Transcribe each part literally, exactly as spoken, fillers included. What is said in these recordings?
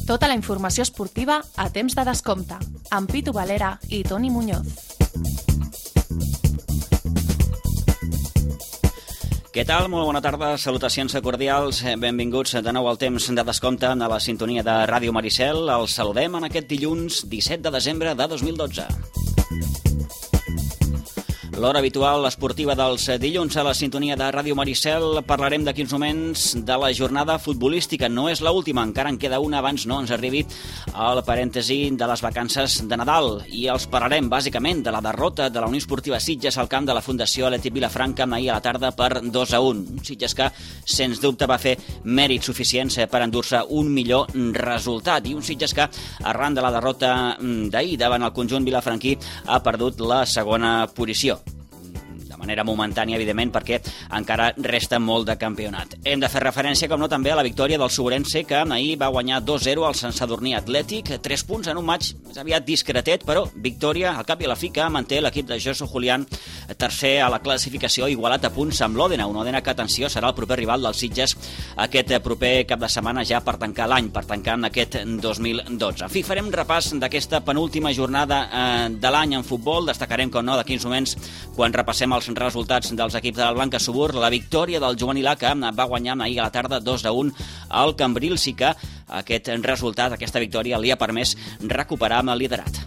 Tota la informació esportiva a temps de descompte, amb Pitu Valera i Toni Muñoz. Què tal? Molt bona tarda, salutacions cordials, benvinguts de nou al temps de descompte a la sintonia de Ràdio Maricel. Els saludem en aquest dilluns disset de desembre de dos mil dotze. L'hora habitual esportiva dels dilluns a la sintonia de Ràdio Maricel. Parlarem d'aquí uns moments de la jornada futbolística. No és l'última, encara en queda una abans no ens arribi el parèntesi de les vacances de Nadal. I els parlarem bàsicament de la derrota de la Unió Esportiva Sitges al camp de la Fundació Atlètic Vilafranca ahir a la tarda per dos a un. Un Sitges que, sens dubte, va fer mèrits suficients per endur-se un millor resultat. I un Sitges que, arran de la derrota d'ahir davant el conjunt vilafranquí, ha perdut la segona posició. De manera momentània, evidentment, perquè encara resta molt de campionat. Hem de fer referència, com no, també a la victòria del Sobrense, que ahir va guanyar dos a zero al Sant Sadurní Atlètic, tres punts en un maig més aviat discretet, però victòria al cap i a la fi que manté l'equip de Josu Julián, tercer a la classificació, igualat a punts amb l'Òdena, un Òdena que, atenció, serà el proper rival dels Sitges aquest proper cap de setmana ja per tancar l'any, per tancar en aquest dos mil dotze. En fi, farem repàs d'aquesta penúltima jornada eh, de l'any en futbol. Destacarem, com no, d'aquí uns moments, quan repassem els resultats dels equips de la Blanca Subur, la victòria del juvenil A que va guanyar ahir a la tarda dos a un al Cambrils i que aquest resultat, aquesta victòria, li ha permès recuperar amb el liderat.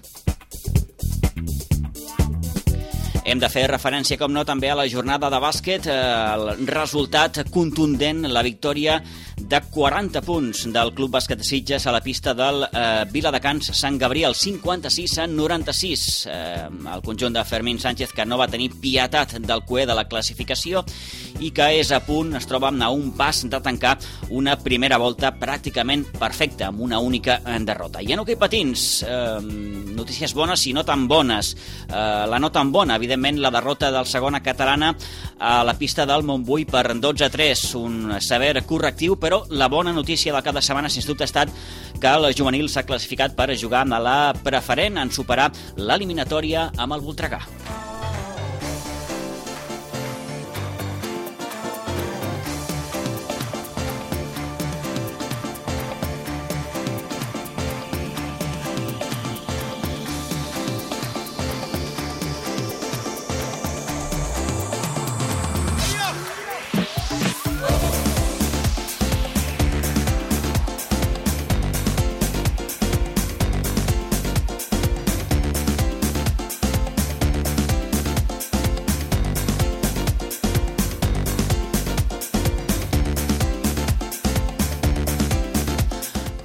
Hem de fer referència, com no, també a la jornada de bàsquet, el resultat contundent, la victòria de quaranta punts del Club Bàsquet de Sitges a la pista del eh, Viladecans Sant Gabriel, cinquanta-sis a noranta-sis. Eh, el conjunt de Fermín Sánchez, que no va tenir pietat del coer de la classificació i que és a punt, es troba a un pas de tancar una primera volta pràcticament perfecta, amb una única derrota. I en hoquei patins, eh, notícies bones i no tan bones. Eh, la no tan bona, evidentment, la derrota del segona catalana a la pista del Montbui per dotze a tres, un sever correctiu, però la bona notícia de cada setmana, sens dubte, ha estat que el juvenil s'ha classificat per jugar a la preferent en superar l'eliminatòria amb el Voltregà.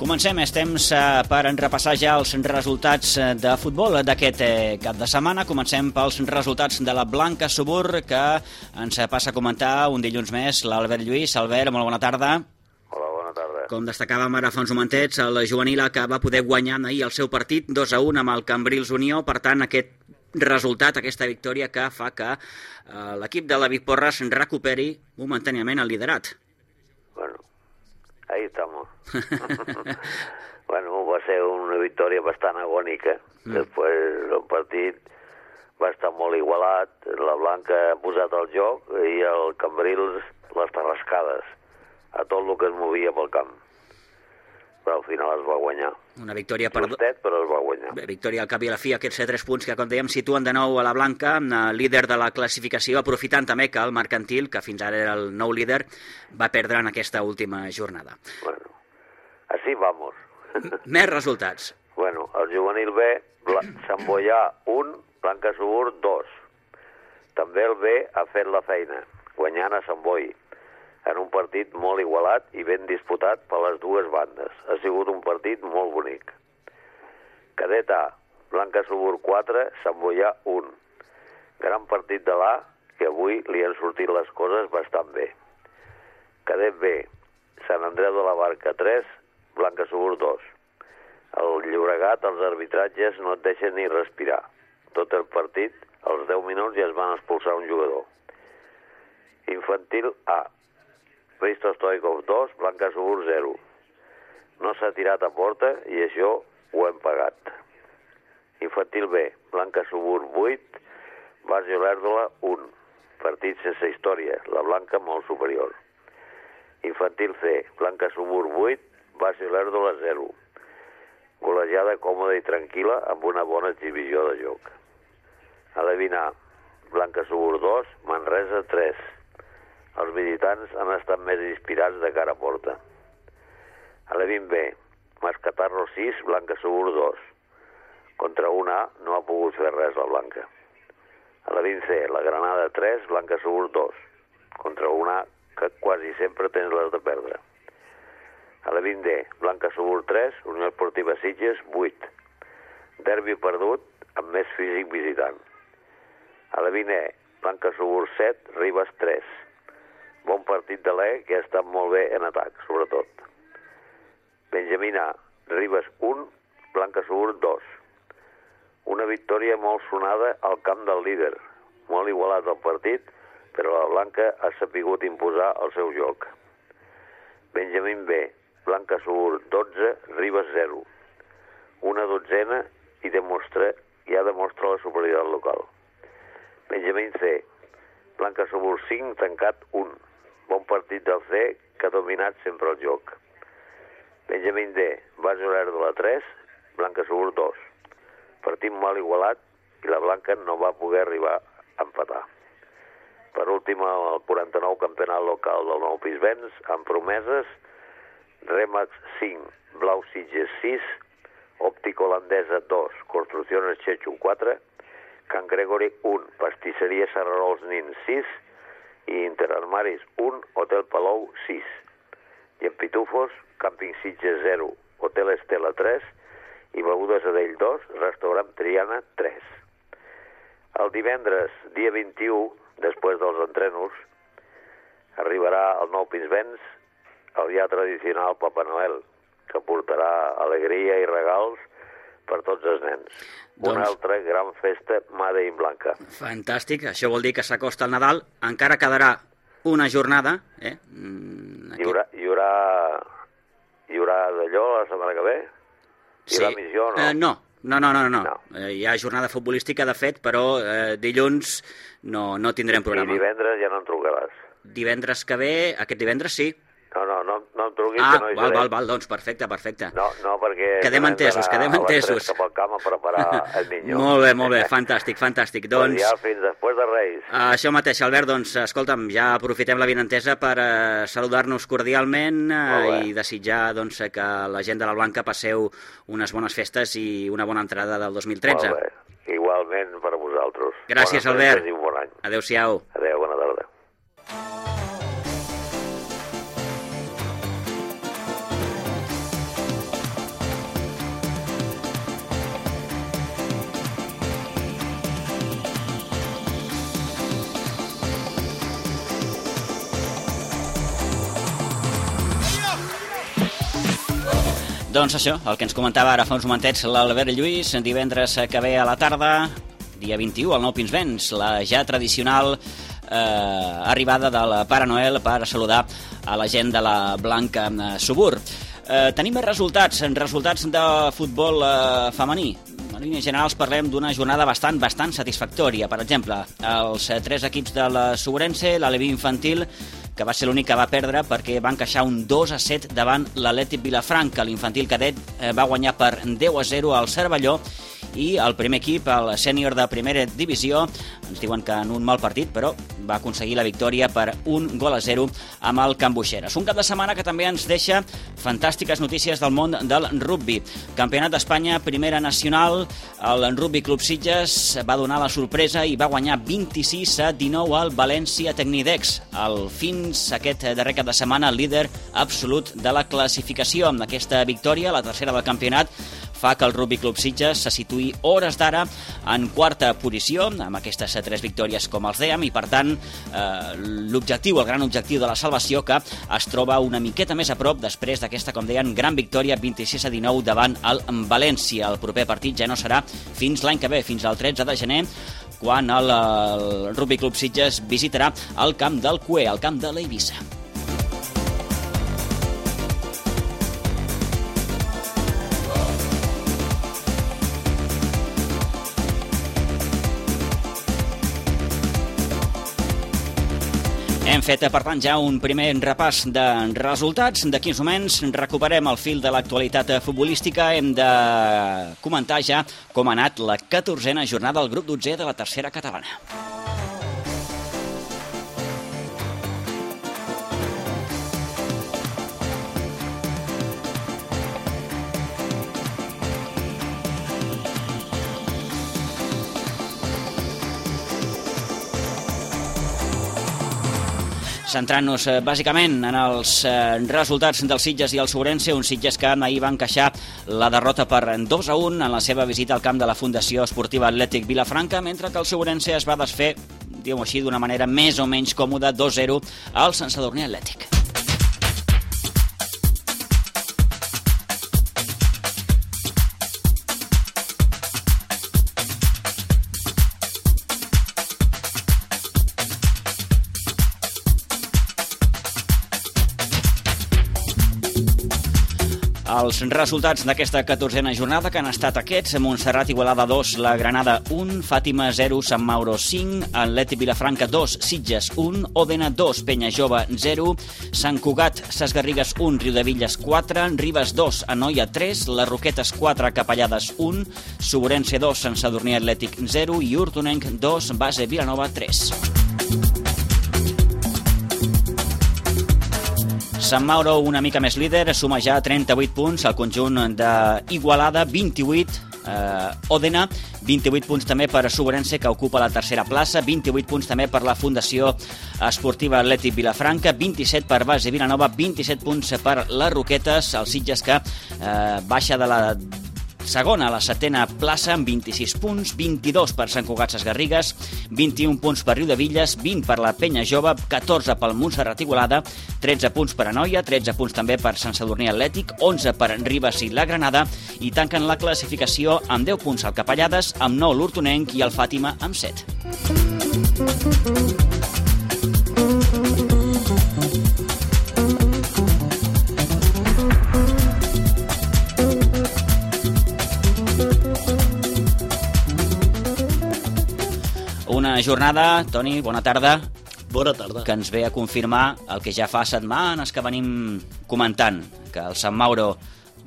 Comencem, és temps per repassar ja els resultats de futbol d'aquest cap de setmana. Comencem pels resultats de la Blanca Subur, que ens passa a comentar un dilluns més l'Albert Lluís. Albert, molt bona tarda. Hola, bona tarda. Com destacàvem ara fa uns momentets, el juvenil que va poder guanyar ahir el seu partit dos a un amb el Cambrils Unió. Per tant, aquest resultat, aquesta victòria que fa que eh, l'equip de David Porras recuperi momentàniament el liderat. Bueno, ahí estamos. Bueno, va ser una victòria bastant agònica. Mm. Després el partit va estar molt igualat. La Blanca ha posat el joc i el Cambrils les tarrascades a tot el que es movia pel camp. Però al final es va guanyar. Una victòria per... Justet, però es va guanyar. Bé, victòria al cap i a la fi, aquests tres punts que, com dèiem, situen de nou a la Blanca, líder de la classificació, aprofitant també que el Mercantil, que fins ara era el nou líder, va perdre en aquesta última jornada. Bueno, així vamos. Més resultats. Bueno, el juvenil B, Sant Boià un, Blanca Subur dos. També el B ha fet la feina, guanyant a Sant Boi, en un partit molt igualat i ben disputat per les dues bandes. Ha sigut un partit molt bonic. Cadet A, Blanca Subur quatre, Sant Boià un. Gran partit de l'A, que avui li han sortit les coses bastant bé. Cadet B, Sant Andreu de la Barca tres, Blanca Subur dos. Al Llobregat els arbitratges no et deixen ni respirar. Tot el partit, als deu minuts ja es van expulsar un jugador. Infantil A, Risto Stoikov dos, Blanca Subur zero. No s'ha tirat a porta i això ho hem pagat. Infantil B, Blanca Subur vuit, Barrio Lérdola un. Partit sense història, la Blanca molt superior. Infantil C, Blanca Subur vuit, Barrio Lérdola zero. golejada còmoda i tranquil·la amb una bona exhibició de joc. A la vint A, Blanca Subur dos, Manresa tres. Els visitants han estat més inspirats de cara a porta. A la vint B, Mascatarro sis, Blanca Subur dos. Contra un A no ha pogut fer res la Blanca. A la vint C, la Granada tres, Blanca Subur dos. Contra un A que quasi sempre tens les de perdre. A la vint D, Blanca Subur tres, Unió Esportiva Sitges vuit. Derbi perdut amb més físic visitant. A la vint E, Blanca Subur set, Ribes tres. Bon partit de l'E, que ha estat molt bé en atac, sobretot. Benjamín A, Ribes un, Blanca Subur dos. Una victòria molt sonada al camp del líder. Molt igualat el partit, però la Blanca ha sapigut imposar el seu joc. Benjamín B, Blanca Subur dotze, Ribes zero. Una dotzena i, demostra, ja demostra la superioritat local. Benjamín C, Blanca Subur cinc, tancat un. Bon partit del C, que ha dominat sempre el joc. Benjamín D, Base Olèrdola tres, Blanca Subur dos. Partit mal igualat i la Blanca no va poder arribar a empatar. Per últim, el quaranta-nou campionat local del Nou Pisbens, amb promeses, Remax cinc, Blau Sitges sis, Òptica Holandesa dos, Construcciones Chechu quatre, Can Gregory un, Pastisseria Serrarols Nin sis i Interarmaris un, Hotel Palou sis. I en Pitufos, Càmping Sitges zero, Hotel Estela tres i Begudes Adell dos, Restaurant Triana tres. El divendres, dia vint-i-u, després dels entrenos, arribarà al Nou Pisbens el ja tradicional Papa Noel, que portarà alegria i regals per tots els nens. Doncs... Una altra gran festa Made in Blanca. Fantàstic, això vol dir que s'acosta el Nadal, encara quedarà una jornada. Eh? Aquí... Hi haurà, hi haurà, hi haurà d'allò la setmana que ve? Hi haurà sí. missió o no? Uh, no. No, no, no, no. no. Eh, hi ha jornada futbolística, de fet, però eh, dilluns no, no tindrem programa. I divendres ja no en trucaràs. Divendres que ve, aquest divendres sí. No, no, no, no em truquis, ah, que no hi val, seré. val, val, doncs perfecte, perfecte. No, no, perquè... Quedem entesos, quedem entesos. Cap al camp a preparar el niño. Molt bé, molt bé, fantàstic, fantàstic. Doncs... Ja fins després de Reis. Uh, això mateix, Albert, doncs, escolta'm, ja aprofitem la vinentesa per uh, saludar-nos cordialment uh, i desitjar doncs, que la gent de la Blanca passeu unes bones festes i una bona entrada del dos mil tretze. Molt bé, igualment per a vosaltres. Gràcies, Albert. I un bon any. Adéu-siau. Adéu, bona tarda. Doncs això, el que ens comentava ara fa uns momentets l'Albert Lluís, divendres que ve a la tarda, dia vint-i-u, al Nou Pisbens, la ja tradicional eh, arribada del Pare Noel per saludar a la gent de la Blanca Subur. Eh, tenim més resultats, resultats de futbol eh, femení. En línies generals parlem d'una jornada bastant, bastant satisfactòria. Per exemple, els tres equips de la Suburense, l'Aleví Infantil, que va ser l'únic que va perdre perquè va encaixar un dos a set davant l'Atlètic Vilafranca. L'infantil cadet va guanyar per deu a zero al Cervelló i el primer equip, el sènior de primera divisió, ens diuen que en un mal partit, però va aconseguir la victòria per un gol a zero amb el Can Buixeres. Un cap de setmana que també ens deixa fantàstiques notícies del món del rugbi. Campionat d'Espanya, primera nacional, el Rugby Club Sitges va donar la sorpresa i va guanyar vint-i-sis a dinou al València Tecnidex. El fins aquest darrer cap de setmana líder absolut de la classificació. Amb aquesta victòria, la tercera del campionat, fa que el Rugby Club Sitges se situï hores d'ara en quarta posició, amb aquestes tres victòries com els dèiem, i per tant eh, l'objectiu, el gran objectiu de la salvació, que es troba una miqueta més a prop després d'aquesta, com deien, gran victòria vint-i-sis a dinou davant el València. El proper partit ja no serà fins l'any que ve, fins al tretze de gener, quan el, el Rugby Club Sitges visitarà el camp del Cué, el camp de l'Eivissa. Hem fet, per tant, ja un primer repàs de resultats. D'aquí uns moments recuperem el fil de l'actualitat futbolística. Hem de comentar ja com ha anat la catorzena jornada del grup dotzè de la tercera catalana. Centrant-nos eh, bàsicament en els eh, resultats dels Sitges i el Ourense, un Sitges que ahir va encaixar la derrota per dos a un en la seva visita al camp de la Fundació Esportiva Atlètic Vilafranca, mentre que el Ourense es va desfer, diguem-ho així, d'una manera més o menys còmoda, dos a zero al Sant Sadurní Atlètic. Els resultats d'aquesta catorzena jornada que han estat aquests: Montserrat Igualada dos, la Granada un, Fàtima zero, Sant Mauro cinc, Atlètic Vilafranca dos, Sitges un, Òdena dos, Penyajove zero, Sant Cugat, Ses Garrigues un, Riudevilles quatre, Ribes dos, Anoia tres, Les Roquetes quatre, Capellades un, Ourense dos, Sant Sadurní Atlètic zero i Hortonenc dos, Base Vilanova tres. Sant Mauro una mica més líder, suma ja trenta-vuit punts, al conjunt d'Igualada vint-i-vuit, eh, Òdena vint-i-vuit punts també per Ourense, que ocupa la tercera plaça, vint-i-vuit punts també per la Fundació Esportiva Atlètic Vilafranca, vint-i-set per Base Vilanova, vint-i-set punts per les Roquetes, el Sitges que eh, baixa de la segona a la setena plaça amb vint-i-sis punts, vint-i-dos per Sant Cugat Ses Garrigues, vint-i-un punts per Riudevilles, vint per la Penyajove, catorze pel Montserrat Igualada, tretze punts per Anoia, tretze punts també per Sant Sadurní Atlètic, onze per Ribes i la Granada, i tanquen la classificació amb deu punts al Capellades, amb nou l'Hortonenc i el Fàtima amb set. Una jornada, Toni, bona tarda. Bona tarda. Que ens ve a confirmar el que ja fa setmanes que venim comentant, que el Sant Mauro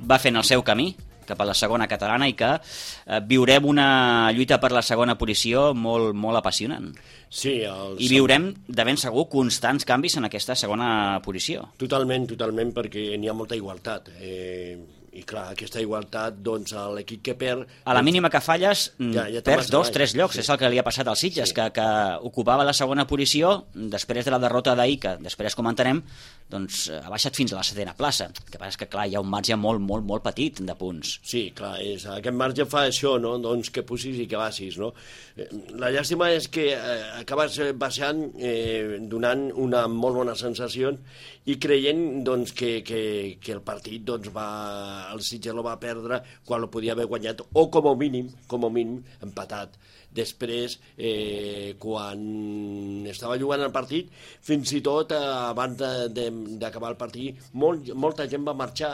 va fent el seu camí cap a la segona catalana i que eh, viurem una lluita per la segona posició molt, molt apassionant. Sí, el... I viurem, de ben segur, constants canvis en aquesta segona posició. Totalment, totalment, perquè n'hi ha molta igualtat. Eh, I clar, aquesta igualtat, doncs, l'equip que perd... A la mínima que falles, ja, ja perds dos, tres llocs. Sí. És el que li ha passat als Sitges, sí. que, que ocupava la segona posició, després de la derrota d'ahir, que després comentarem, doncs ha baixat fins a la setena plaça. El que passa és que, clar, hi ha un marge molt, molt, molt petit de punts. Sí, clar, és, aquest marge fa això, no? Doncs que pussis i que baixis, no? La llàstima és que eh, acabes baixant, eh, donant una molt bona sensació i creient, doncs, que, que, que el partit, doncs, va... el Sitges lo va perdre quan lo podia haver guanyat, o com a mínim, com a mínim, empatat. Després, eh, quan estava jugant el partit, fins i tot eh, abans d'acabar el partit, molt, molta gent va marxar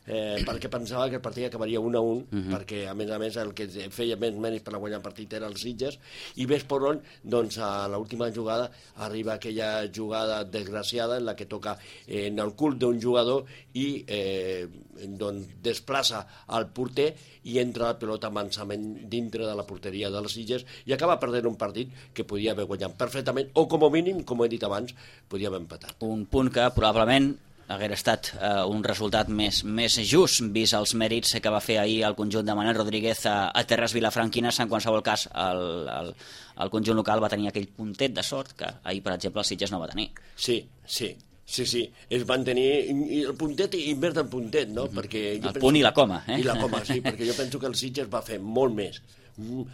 eh, perquè pensava que el partit acabaria un a un, uh-huh. perquè a més a més el que feia més mèrits per a guanyar el partit era el Sitges, i ves per on, doncs a l'última jugada arriba aquella jugada desgraciada en la que toca eh, en el cul d'un jugador i eh, doncs desplaça al porter i entra la pilota mansament dintre de la porteria dels Sitges i acaba perdent un partit que podia haver guanyat perfectament, o com a mínim, com he dit abans, podia haver empatat. Un punt que probablement haguera estat eh, un resultat més, més just, vist els mèrits que va fer ahir el conjunt de Manel Rodríguez a, a Terres Vilafranquines. En qualsevol cas, el, el, el conjunt local va tenir aquell puntet de sort que ahir, per exemple, el Sitges no va tenir. Sí, sí. Sí, sí, es van tenir i el puntet i més del puntet, no? Mm-hmm. Perquè el penso... punt i la coma, eh? I la coma, sí, perquè jo penso que el Sitges va fer molt més.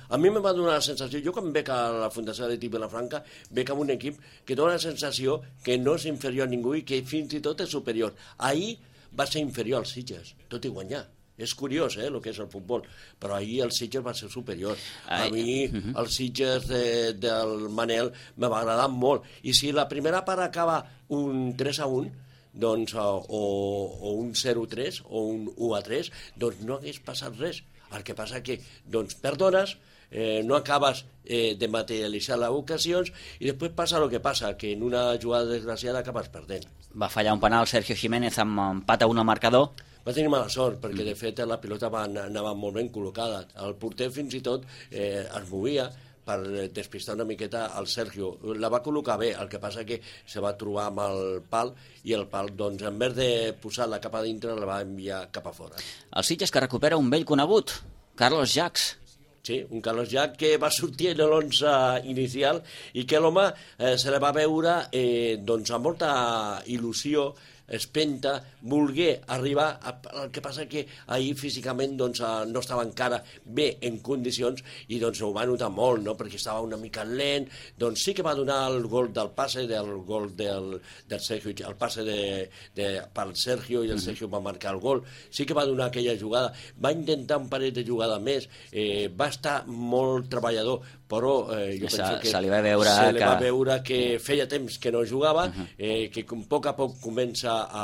A mi me va donar la sensació, jo quan veig a la Fundació Atlètic Vilafranca, veig amb un equip que dona la sensació que no és inferior a ningú i que fins i tot és superior. Ahir va ser inferior als Sitges, tot i guanyar. És curiós, eh, el que és el futbol, però ahir el Sitges va ser superior. A mi el Sitges de, del Manel me va agradar molt. I si la primera part acaba un tres a un, doncs, o, o un zero a tres o un u a tres, doncs no hagués passat res. El que passa que doncs, perdones, eh, no acabes eh, de materialitzar les ocasions i després passa el que passa, que en una jugada desgraciada acabes perdent. Va fallar un penal Sergio Jiménez amb empat a un al marcador. Va tenir mala sort, perquè de fet la pilota va, anava molt ben col·locada. El porter fins i tot eh, es movia per despistar una miqueta al Sergio. La va col·locar bé, el que passa que se va trobar amb el pal i el pal, doncs, en vez de posar-la cap a dintre, la va enviar cap a fora. El Sitges que recupera un vell conegut, Carlos Jacks. Sí, un Carlos Jack que va sortir en l'onze inicial i que l'home eh, se li va veure eh, doncs, amb molta il·lusió, espenta, volgué arribar, a, el que passa que ahir físicament doncs, no estava encara bé en condicions i doncs ho va notar molt, no? Perquè estava una mica lent, doncs sí que va donar el gol del passe, del gol del, del Sergio, el passe de, de, pel Sergio i el Sergio va marcar el gol, sí que va donar aquella jugada, va intentar un parell de jugada més, eh, va estar molt treballador, però eh, jo se, penso que se li va veure se li que... va veure que feia temps que no jugava, eh, que a poc a poc comença a,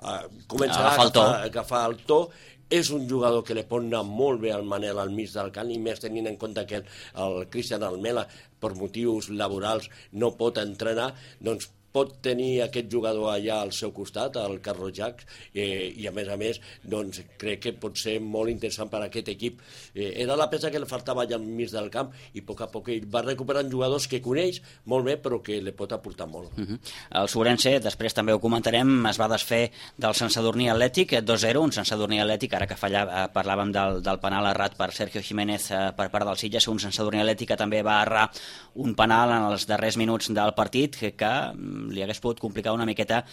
a, comença a, agafar el to. agafar, agafar el to. És un jugador que li pot anar molt bé al Manel al mig del camp, i més tenint en compte que el, el Cristian Almela, per motius laborals, no pot entrenar, doncs pot tenir aquest jugador allà al seu costat, el Carlos Jack, eh, i a més a més doncs, crec que pot ser molt interessant per a aquest equip. Eh, era la peça que li faltava allà al mig del camp i a poc a poc ell va recuperant jugadors que coneix molt bé però que li pot aportar molt. Uh -huh. El Sobrense, després també ho comentarem, es va desfer del Sant Sadurní Atlètic, dos zero, un Sant Sadurní Atlètic, ara que fallava, eh, parlàvem del, del penal errat per Sergio Jiménez eh, per part del Sitges, un Sant Sadurní Atlètic que també va errar un penal en els darrers minuts del partit que, que li hagués pogut complicar una miqueta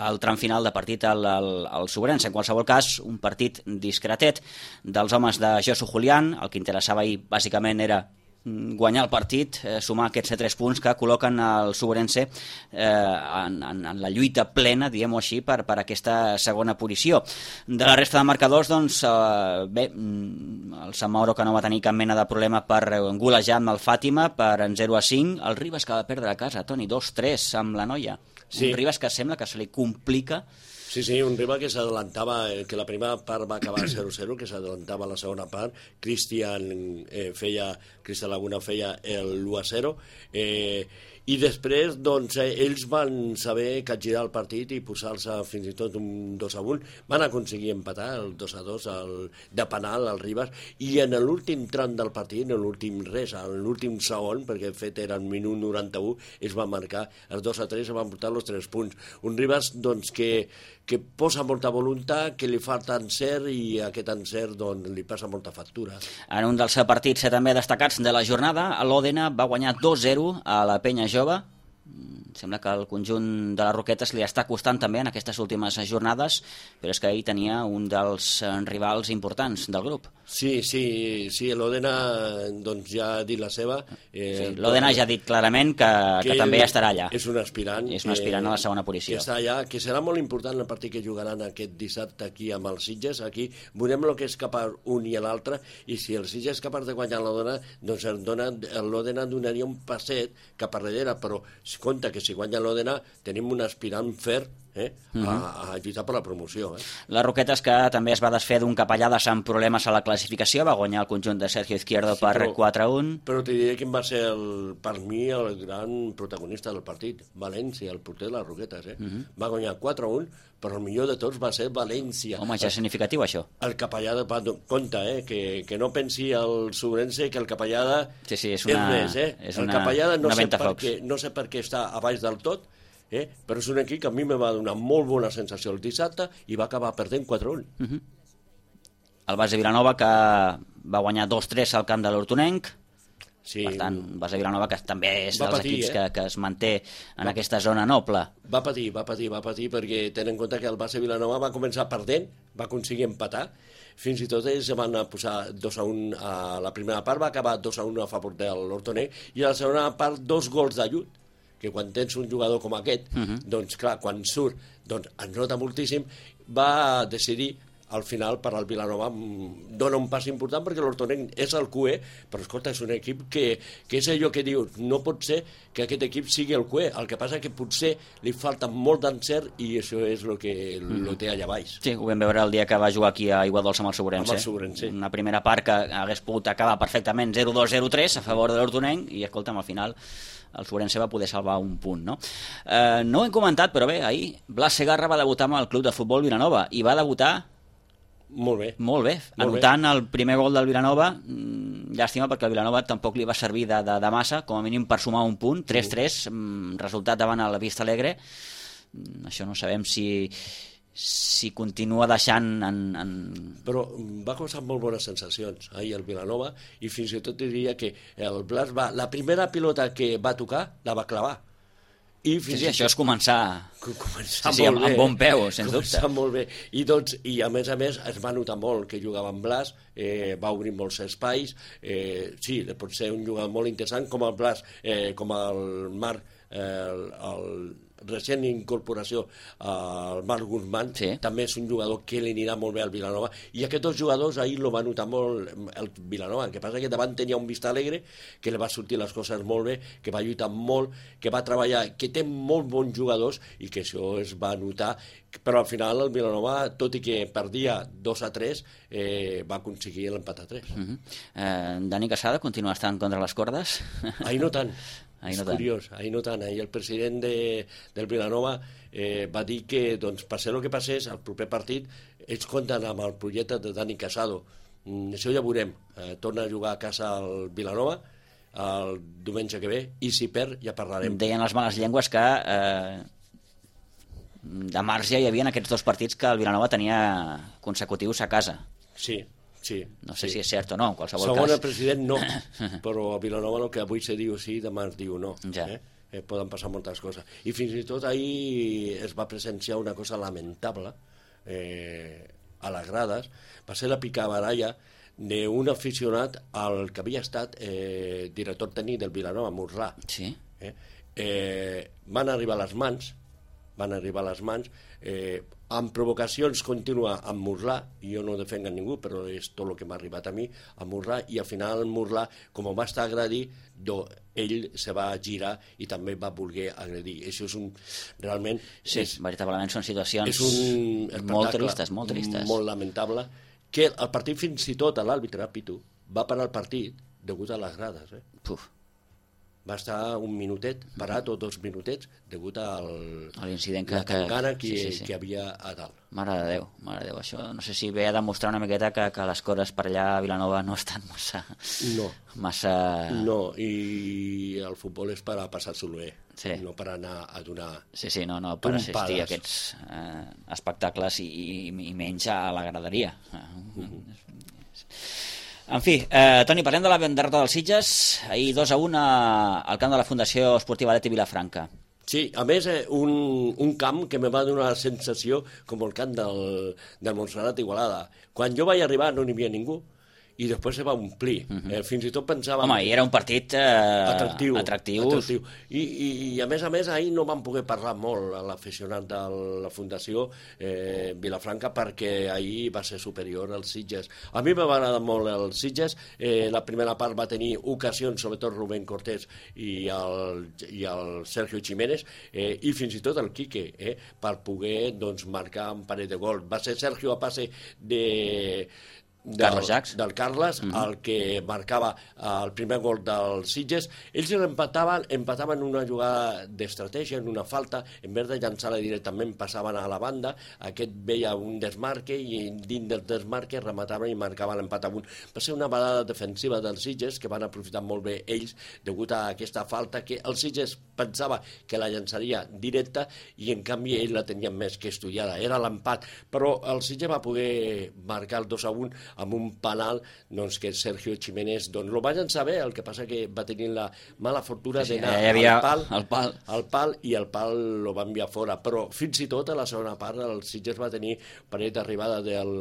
el tram final de partit al, al, al Sobrense. En qualsevol cas, un partit discretet dels homes de Josu Julián. El que interessava ahir bàsicament era guanyar el partit, eh, sumar aquests tres punts que col·loquen el Sobrense eh, en, en, en la lluita plena, diguem-ho així, per, per aquesta segona posició. De la resta de marcadors, doncs, eh, bé, el Sant Mauro que no va tenir cap mena de problema per golejar amb el Fàtima per en zero a cinc, el Ribas que va perdre a casa, Toni, dos tres amb la Noia. Sí. Un Ribas que sembla que se li complica. Sí, sí, un rival que s'adelantava, que la primera part va acabar zero zero, que s'adelantava la segona part. Cristian eh, feia, Cristian Laguna feia l'u a zero, eh, i després doncs, eh, ells van saber capgirar el partit i posar-se fins i tot un dos a un. Van aconseguir empatar el dos a dos el, de penal al Ribas, i en l'últim tram del partit, en l'últim res, en l'últim segon, perquè de fet era el minut noranta-u, es va marcar el dos a tres, es van portar els tres punts. Un Ribas doncs, que, que posa molta voluntat, que li falta encert, i aquest encert doncs, li passa molta factura. En un dels partits també destacats de la jornada, l'Òdena va guanyar dos zero a la Penya Jove. Sembla que el conjunt de les Roquetes li està costant també en aquestes últimes jornades, però és que ahir tenia un dels rivals importants del grup. Sí, sí, sí, l'Òdena doncs, ja ha dit la seva. Eh, sí, L'Òdena ja ha dit clarament que, que, que també estarà allà. És un aspirant. És un aspirant eh, a la segona posició. Que està allà, que serà molt important el partit que jugaran aquest dissabte aquí amb els Sitges. Aquí veurem el que és capaç un i l'altre, i si el Sitges és capaç de guanyar l'Òdena, doncs l'Òdena donaria un passet cap a darrere, però compte que si guanya l'Òdena tenim un aspirant fer eh, uh-huh. a, a lluitar per la promoció. Eh. Les Roquetes, que també es va desfer d'un capellà de Sant Problemes a la classificació, va guanyar el conjunt de Sergio Izquierdo sí, per però, quatre a un. Però t'hi diré quin va ser, el, per mi, el gran protagonista del partit. València, el porter de les Roquetes. Eh. Uh-huh. Va guanyar quatre a un, però el millor de tots va ser València. Home, ja és significatiu, això. El capellà de Pato. Compte, eh, que, que no pensi el Sobrense que el capellà de... Sí, sí, és una... És res, eh? És el una, capellà de no, una sé per què, no sé per què està a baix del tot, eh? Però és un equip que a mi me va donar molt bona sensació el dissabte i va acabar perdent quatre a un. Uh-huh. El Base Vilanova, que va guanyar dos tres al camp de l'Hortonenc. Sí. Per tant, Base Vilanova, que també és va dels patir, equips eh? que, que es manté en va, aquesta zona noble. Va patir, va patir, va patir, perquè tenen en compte que el Base Vilanova va començar perdent, va aconseguir empatar, fins i tot ells van posar dos a un a la primera part, va acabar dos a un a favor de l'Hortonenc, i a la segona part dos gols d'ajut, que quan tens un jugador com aquest, uh-huh. doncs clar, quan surt, doncs es nota moltíssim, va decidir al final per al Vilanova dona un pas important perquè l'Hortonenc és el Q E, però escolta, és un equip que, que és allò que dius, no pot ser que aquest equip sigui el Q E, el que passa que potser li falta molt d'encert i això és el que mm. lo té allà baix. Sí, ho vam veure el dia que va jugar aquí a Iguadols amb el Segurense. Amb el Segurense. Una primera part que hagués pogut acabar perfectament zero dos zero tres a favor de l'Hortonenc i escolta'm, al final el Segurense va poder salvar un punt, no? Eh, no ho hem comentat, però bé, ahir Blas Segarra va debutar amb el club de futbol Vilanova i va debutar molt bé, molt bé, molt anotant bé. El primer gol del Vilanova. Llàstima perquè el Vilanova tampoc li va servir de, de, de massa, com a mínim per sumar un punt, tres tres, sí. Resultat davant a la Vista Alegre. Això no sabem si si continua deixant en, en... Però va causar molt bones sensacions ahir el Vilanova i fins i tot diria que el Blas va, la primera pilota que va tocar la va clavar. I sí, sí, això és començar, començar sí, sí, amb, amb bon peu, sens dubte. Molt bé. I, doncs, I a més a més es va notar molt que jugava amb Blas, eh, va obrir molts espais, eh, sí, pot ser un jugador molt interessant com el Blas, eh, com el Marc, eh, el, el recent incorporació al Marc Guzmán, sí. També és un jugador que li anirà molt bé al Vilanova, i aquests dos jugadors ahir lo va notar molt el Vilanova, el que passa que davant tenia un Vista Alegre que li va sortir les coses molt bé, que va lluitar molt, que va treballar, que té molt bons jugadors i que això es va notar, però al final el Vilanova, tot i que perdia dos a tres, eh, va aconseguir l'empat a tres. Uh -huh. eh, Dani Casada continua estant contra les cordes? Ahir no tant. Ahir és no curiós, ahir no tant. Ahir el president de, del Vilanova eh, va dir que, doncs, passés el que passés, al proper partit ells compten amb el projecte de Dani Casado. Mm, això ja veurem. Eh, torna a jugar a casa al Vilanova el diumenge que ve, i si perd ja parlarem. Deien les males llengües que eh, de març ja hi havia aquests dos partits que el Vilanova tenia consecutius a casa. Sí. Sí, no sé sí. si és cert o no, en qualsevol Segons cas. el president, no, però a Vilanova el que avui se diu sí, demà es diu no. Ja. Eh? Eh, poden passar moltes coses. I fins i tot ahir es va presenciar una cosa lamentable eh, a les grades. Va ser la picabaralla d'un aficionat al que havia estat eh, director tècnic del Vilanova, Murlà. Sí. Eh? Eh, van arribar a les mans, van arribar a les mans, eh, amb provocacions continua amb Murlà, i jo no defenc a ningú, però és tot el que m'ha arribat a mi, a Murlà, i al final Murlà, com va estar agredir, ell se va girar i també va voler agredir. Això és un... realment... Sí, és, veritablement són situacions és un molt tristes, molt tristes. Molt lamentable, que el partit fins i tot, l'àrbitre, Pitu, va parar el partit degut a les grades. Eh? Puf. Va estar un minutet parat o dos minutets degut al a l'incident que, la tangana que, sí, sí, sí. que havia a dalt. Mare de Déu, mare de Déu. Això no sé si ve a demostrar una miqueta que, que les coses per allà a Vilanova no estan massa... No. Massa... No, i el futbol és per a passar-s'ho bé, sí. No per anar a donar... Sí, sí, no, no, per Tumpades. assistir a aquests eh, espectacles i, i, i menys a la graderia. Uh-huh. En fi, eh, Toni, parlem de la derrota dels Sitges, ahir dos a un al camp de la Fundació Esportiva Leti Vilafranca. Sí, a més, eh, un, un camp que me va donar la sensació com el camp del, del Montserrat Igualada. Quan jo vaig arribar no n'hi havia ningú, i després se va omplir. Uh -huh. eh, fins i tot pensàvem... Home, i era un partit eh, atractiu, atractiu. atractiu. I, i, I a més a més ahir no vam poder parlar molt a l'aficionat de la Fundació eh, Vilafranca perquè ahir va ser superior als Sitges. A mi m'ha agradat molt els Sitges. Eh, la primera part va tenir ocasions, sobretot Rubén Cortés i el, i el Sergio Jiménez, eh, i fins i tot el Quique, eh, per poder doncs, marcar un parell de gols. Va ser Sergio a passe de... Del, Carles Jacs. del Carles, mm -hmm. el que marcava el primer gol dels Sitges. Ells empataven, empataven una jugada d'estratègia, en una falta, en vez de llançar-la directament passaven a la banda, aquest veia un desmarque i dins del desmarque remataven i marcaven l'empat a un. Va ser una balada defensiva dels Sitges que van aprofitar molt bé ells degut a aquesta falta que els Sitges pensava que la llançaria directa i en canvi ells la tenien més que estudiada, era l'empat, però el Sitges va poder marcar el dos a un amb un penal doncs, que Sergio Jiménez doncs, lo va llançar bé, el que passa que va tenir la mala fortuna sí, d'anar al pal, el pal. al pal i el pal lo va enviar fora, però fins i tot a la segona part el Sitges va tenir parell d'arribada del,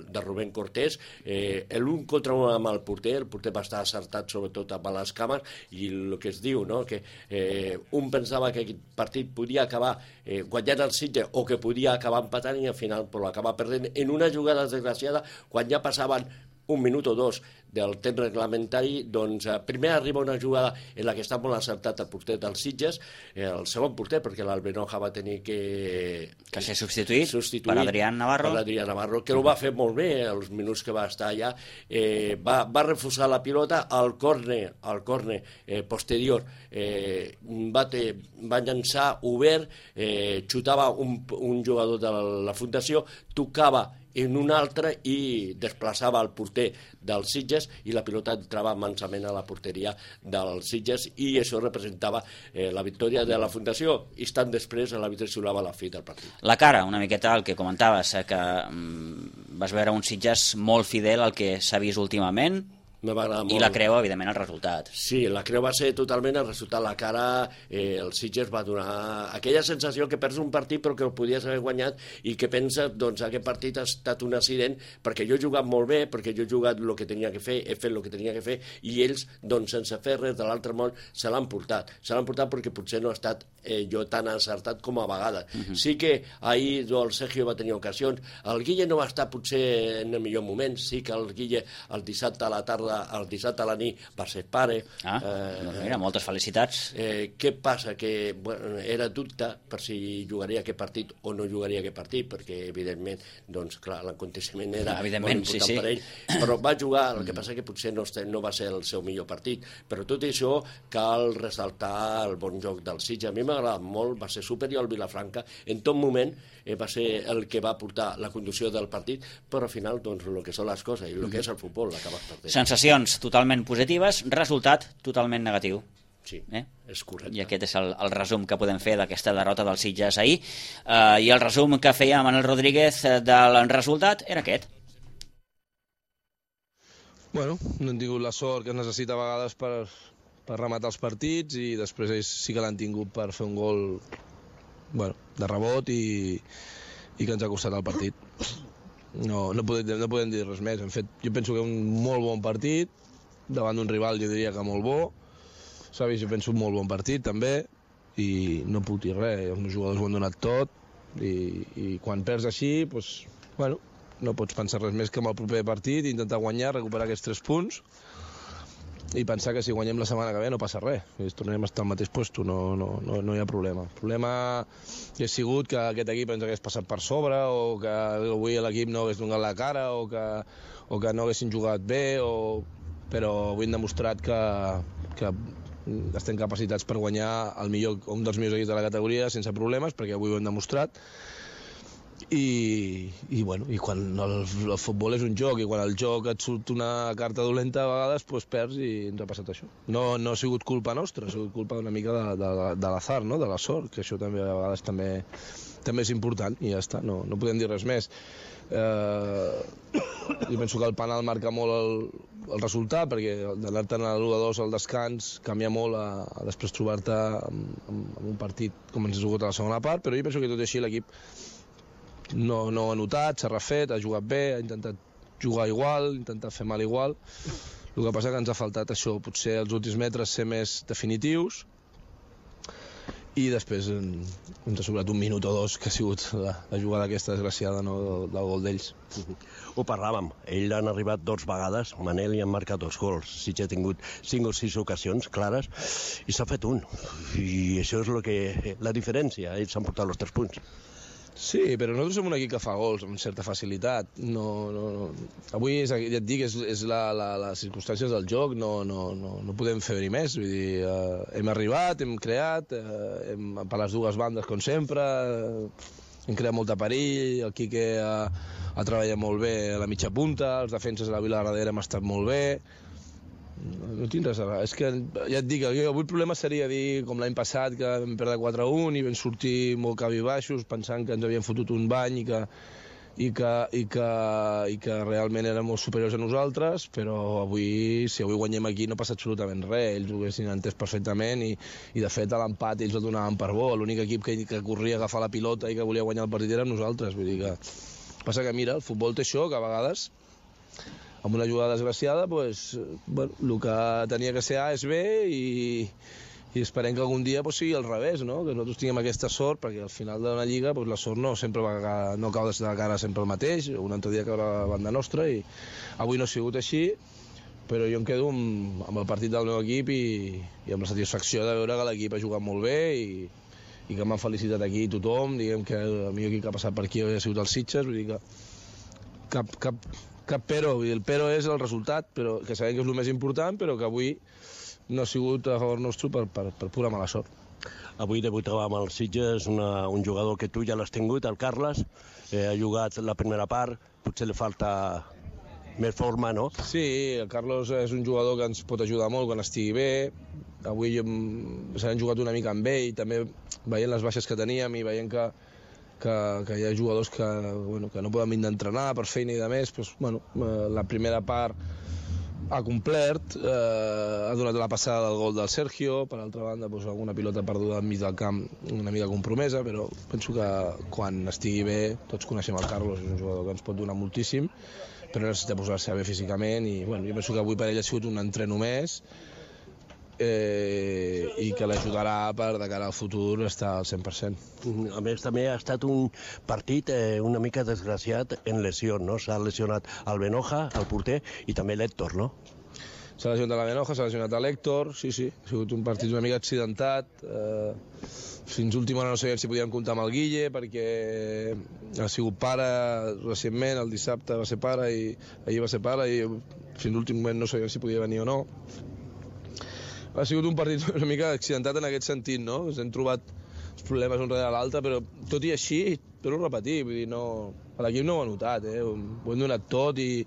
de Rubén Cortés, eh, l'un contra un amb el porter, el porter va estar acertat sobretot amb les cames, i el que es diu, no? que eh, un pensava que aquest partit podia acabar eh, guanyant el Sitges o que podia acabar empatant i al final pues, l'acaba perdent en una jugada desgraciada quan ja passaven un minut o dos del temps reglamentari, doncs eh, primer arriba una jugada en la que està molt acertat el porter dels Sitges, eh, el segon porter, perquè l'Albenoja va tenir que... Que ser substituït, substituït per Adrián Navarro. Per Adrián Navarro, que ho va fer molt bé, els minuts que va estar allà. Eh, va, va refusar la pilota al córner, al córner eh, posterior. Eh, va, te, va llançar obert, eh, xutava un, un jugador de la, la Fundació, tocava en un altre i desplaçava el porter dels Sitges i la pilota entrava mansament a la porteria dels Sitges i això representava eh, la victòria de la Fundació. Instant després l'àrbitre xiulava la fi del partit. La cara, una miqueta el que comentaves, eh, que mm, vas veure un Sitges molt fidel al que s'ha vist últimament, me va agradar molt. I la creu, evidentment, el resultat. Sí, la creu va ser totalment el resultat. La cara, eh, el Sitges va donar aquella sensació que perds un partit però que el podies haver guanyat i que pensa, doncs, aquest partit ha estat un accident perquè jo he jugat molt bé, perquè jo he jugat el que tenia que fer, he fet el que tenia que fer i ells, doncs, sense fer res de l'altre món, se l'han portat. Se l'han portat perquè potser no ha estat eh, jo tan encertat com a vegades. Uh -huh. Sí que ahir el Sergio va tenir ocasions. El Guille no va estar potser en el millor moment. Sí que el Guille el dissabte a la tarda el dissabte a la nit va ser pare. Ah, eh, doncs mira, moltes felicitats. Eh, què passa? Que bueno, era dubte per si jugaria aquest partit o no jugaria aquest partit, perquè evidentment, doncs clar, l'aconteciment era evidentment, molt important sí, sí. per ell, però va jugar, el que passa que potser no, no va ser el seu millor partit, però tot això cal ressaltar el bon joc del Sitges. A mi m'ha agradat molt, va ser superior al Vilafranca, en tot moment eh, va ser el que va portar la conducció del partit, però al final, doncs, el que són les coses i el que és el futbol l'acabes perdent. Sensacions totalment positives, resultat totalment negatiu. Sí, eh? és correcte. I aquest és el, el resum que podem fer d'aquesta derrota del Sitges ahir. Uh, I el resum que feia Manel Rodríguez del resultat era aquest. Bueno, no hem tingut la sort que es necessita a vegades per, per rematar els partits i després ells sí que l'han tingut per fer un gol bueno, de rebot i, i que ens ha costat el partit. No, no, podem, no podem dir res més. En fet, jo penso que un molt bon partit, davant d'un rival jo diria que molt bo, s'ha vist, jo penso, un molt bon partit també, i no puc dir res, els meus jugadors ho han donat tot, i, i quan perds així, doncs, bueno, no pots pensar res més que en el proper partit, intentar guanyar, recuperar aquests tres punts, i pensar que si guanyem la setmana que ve no passa res, i tornarem a estar al mateix lloc, no, no, no, no hi ha problema. El problema ha sigut que aquest equip ens hagués passat per sobre, o que avui l'equip no hagués donat la cara, o que, o que no haguessin jugat bé, o... però avui hem demostrat que, que estem capacitats per guanyar el millor, un dels millors equips de la categoria sense problemes, perquè avui ho hem demostrat. I, i, bueno, i quan el, el futbol és un joc i quan el joc et surt una carta dolenta a vegades pues perds i ens ha passat això. No, no ha sigut culpa nostra, ha sigut culpa una mica de, de, de l'azar, no? De la sort, que això també a vegades també, també és important i ja està, no, no podem dir res més. Eh, jo penso que el penal marca molt el, el resultat, perquè d'anar-te'n a l'u a dos al descans canvia molt a, a després trobar-te amb, amb un partit com ens ha jugat a la segona part, però jo penso que tot i així l'equip no, no ha notat, s'ha refet, ha jugat bé, ha intentat jugar igual, ha intentat fer mal igual. El que passa que ens ha faltat això, potser els últims metres ser més definitius, i després ens ha sobrat un minut o dos que ha sigut la, la jugada aquesta desgraciada, no, del, del gol d'ells. Ho parlàvem, ells han arribat dues vegades, Manel i han marcat dos gols, sí que ha tingut cinc o sis ocasions clares i s'ha fet un, i això és lo que, la diferència, ells han portat els tres punts. Sí, però nosaltres som un equip que fa gols amb certa facilitat. No, no, no. Avui, és, ja et dic, és, és la, la, les circumstàncies del joc, no, no, no, no podem fer-hi més. Vull dir, eh, hem arribat, hem creat, eh, hem, per les dues bandes, com sempre, eh, hem creat molt de perill, el Quique ha, ha treballat molt bé a la mitja punta, els defenses de la Vila darrere hem estat molt bé. No, no tinc res a veure. És que, ja et dic, avui el problema seria dir, com l'any passat, que vam perdre quatre a un i vam sortir molt cabibaixos pensant que ens havien fotut un bany i que, i que, i, que, i que realment eren molt superiors a nosaltres, però avui, si avui guanyem aquí no passa absolutament res, ells ho haguessin entès perfectament i, i de fet a l'empat ells el donaven per bo, l'únic equip que, que corria a agafar la pilota i que volia guanyar el partit érem nosaltres, vull dir que passa que mira, el futbol té això, que a vegades amb una jugada desgraciada pues, bueno, el que tenia que ser A és B i i esperem que algun dia pues, sigui al revés, no? Que nosaltres tinguem aquesta sort, perquè al final de la Lliga pues, la sort no sempre va, no cau de cara sempre el mateix, un altre dia caurà a la banda nostra, i avui no ha sigut així, però jo em quedo amb, amb el partit del meu equip i, i amb la satisfacció de veure que l'equip ha jugat molt bé i, i que m'han felicitat aquí tothom, diguem que el millor equip que ha passat per aquí ha sigut el Sitges, vull dir que cap, cap, cap però, el però és el resultat, però que sabem que és el més important, però que avui no ha sigut a favor nostre per, per, per pura mala sort. Avui debutava amb el Sitges una, un jugador que tu ja l'has tingut, el Carles, eh, ha jugat la primera part, potser li falta més forma, no? Sí, el Carlos és un jugador que ens pot ajudar molt quan estigui bé. Avui s'han jugat una mica amb ell, també veient les baixes que teníem i veient que, que, que hi ha jugadors que, bueno, que no poden vindre a entrenar per feina i de més, doncs, bueno, la primera part ha complert, eh, ha donat la passada del gol del Sergio, per altra banda doncs, alguna pilota perduda enmig del camp una mica compromesa, però penso que quan estigui bé, tots coneixem el Carlos, és un jugador que ens pot donar moltíssim, però necessita posar-se bé físicament i bueno, jo penso que avui per ell ha sigut un entreno més eh, i que l'ajudarà per de cara al futur estar al cent per cent. A més, també ha estat un partit eh, una mica desgraciat en lesió, no? S'ha lesionat el Benoja, el porter, i també l'Héctor, no? S'ha lesionat la Benoja, s'ha lesionat l'Héctor, sí, sí, ha sigut un partit una mica accidentat. Eh, fins última hora no sabíem si podíem comptar amb el Guille, perquè ha sigut pare recentment, el dissabte va ser pare i ahir va ser pare, i fins l'últim moment no sabíem si podia venir o no. Ha sigut un partit una mica accidentat en aquest sentit, no? Ens hem trobat els problemes un darrere l'altre, però tot i així, torno a repetir, vull dir, no... l'equip no ho ha notat, eh? Ho hem donat tot i...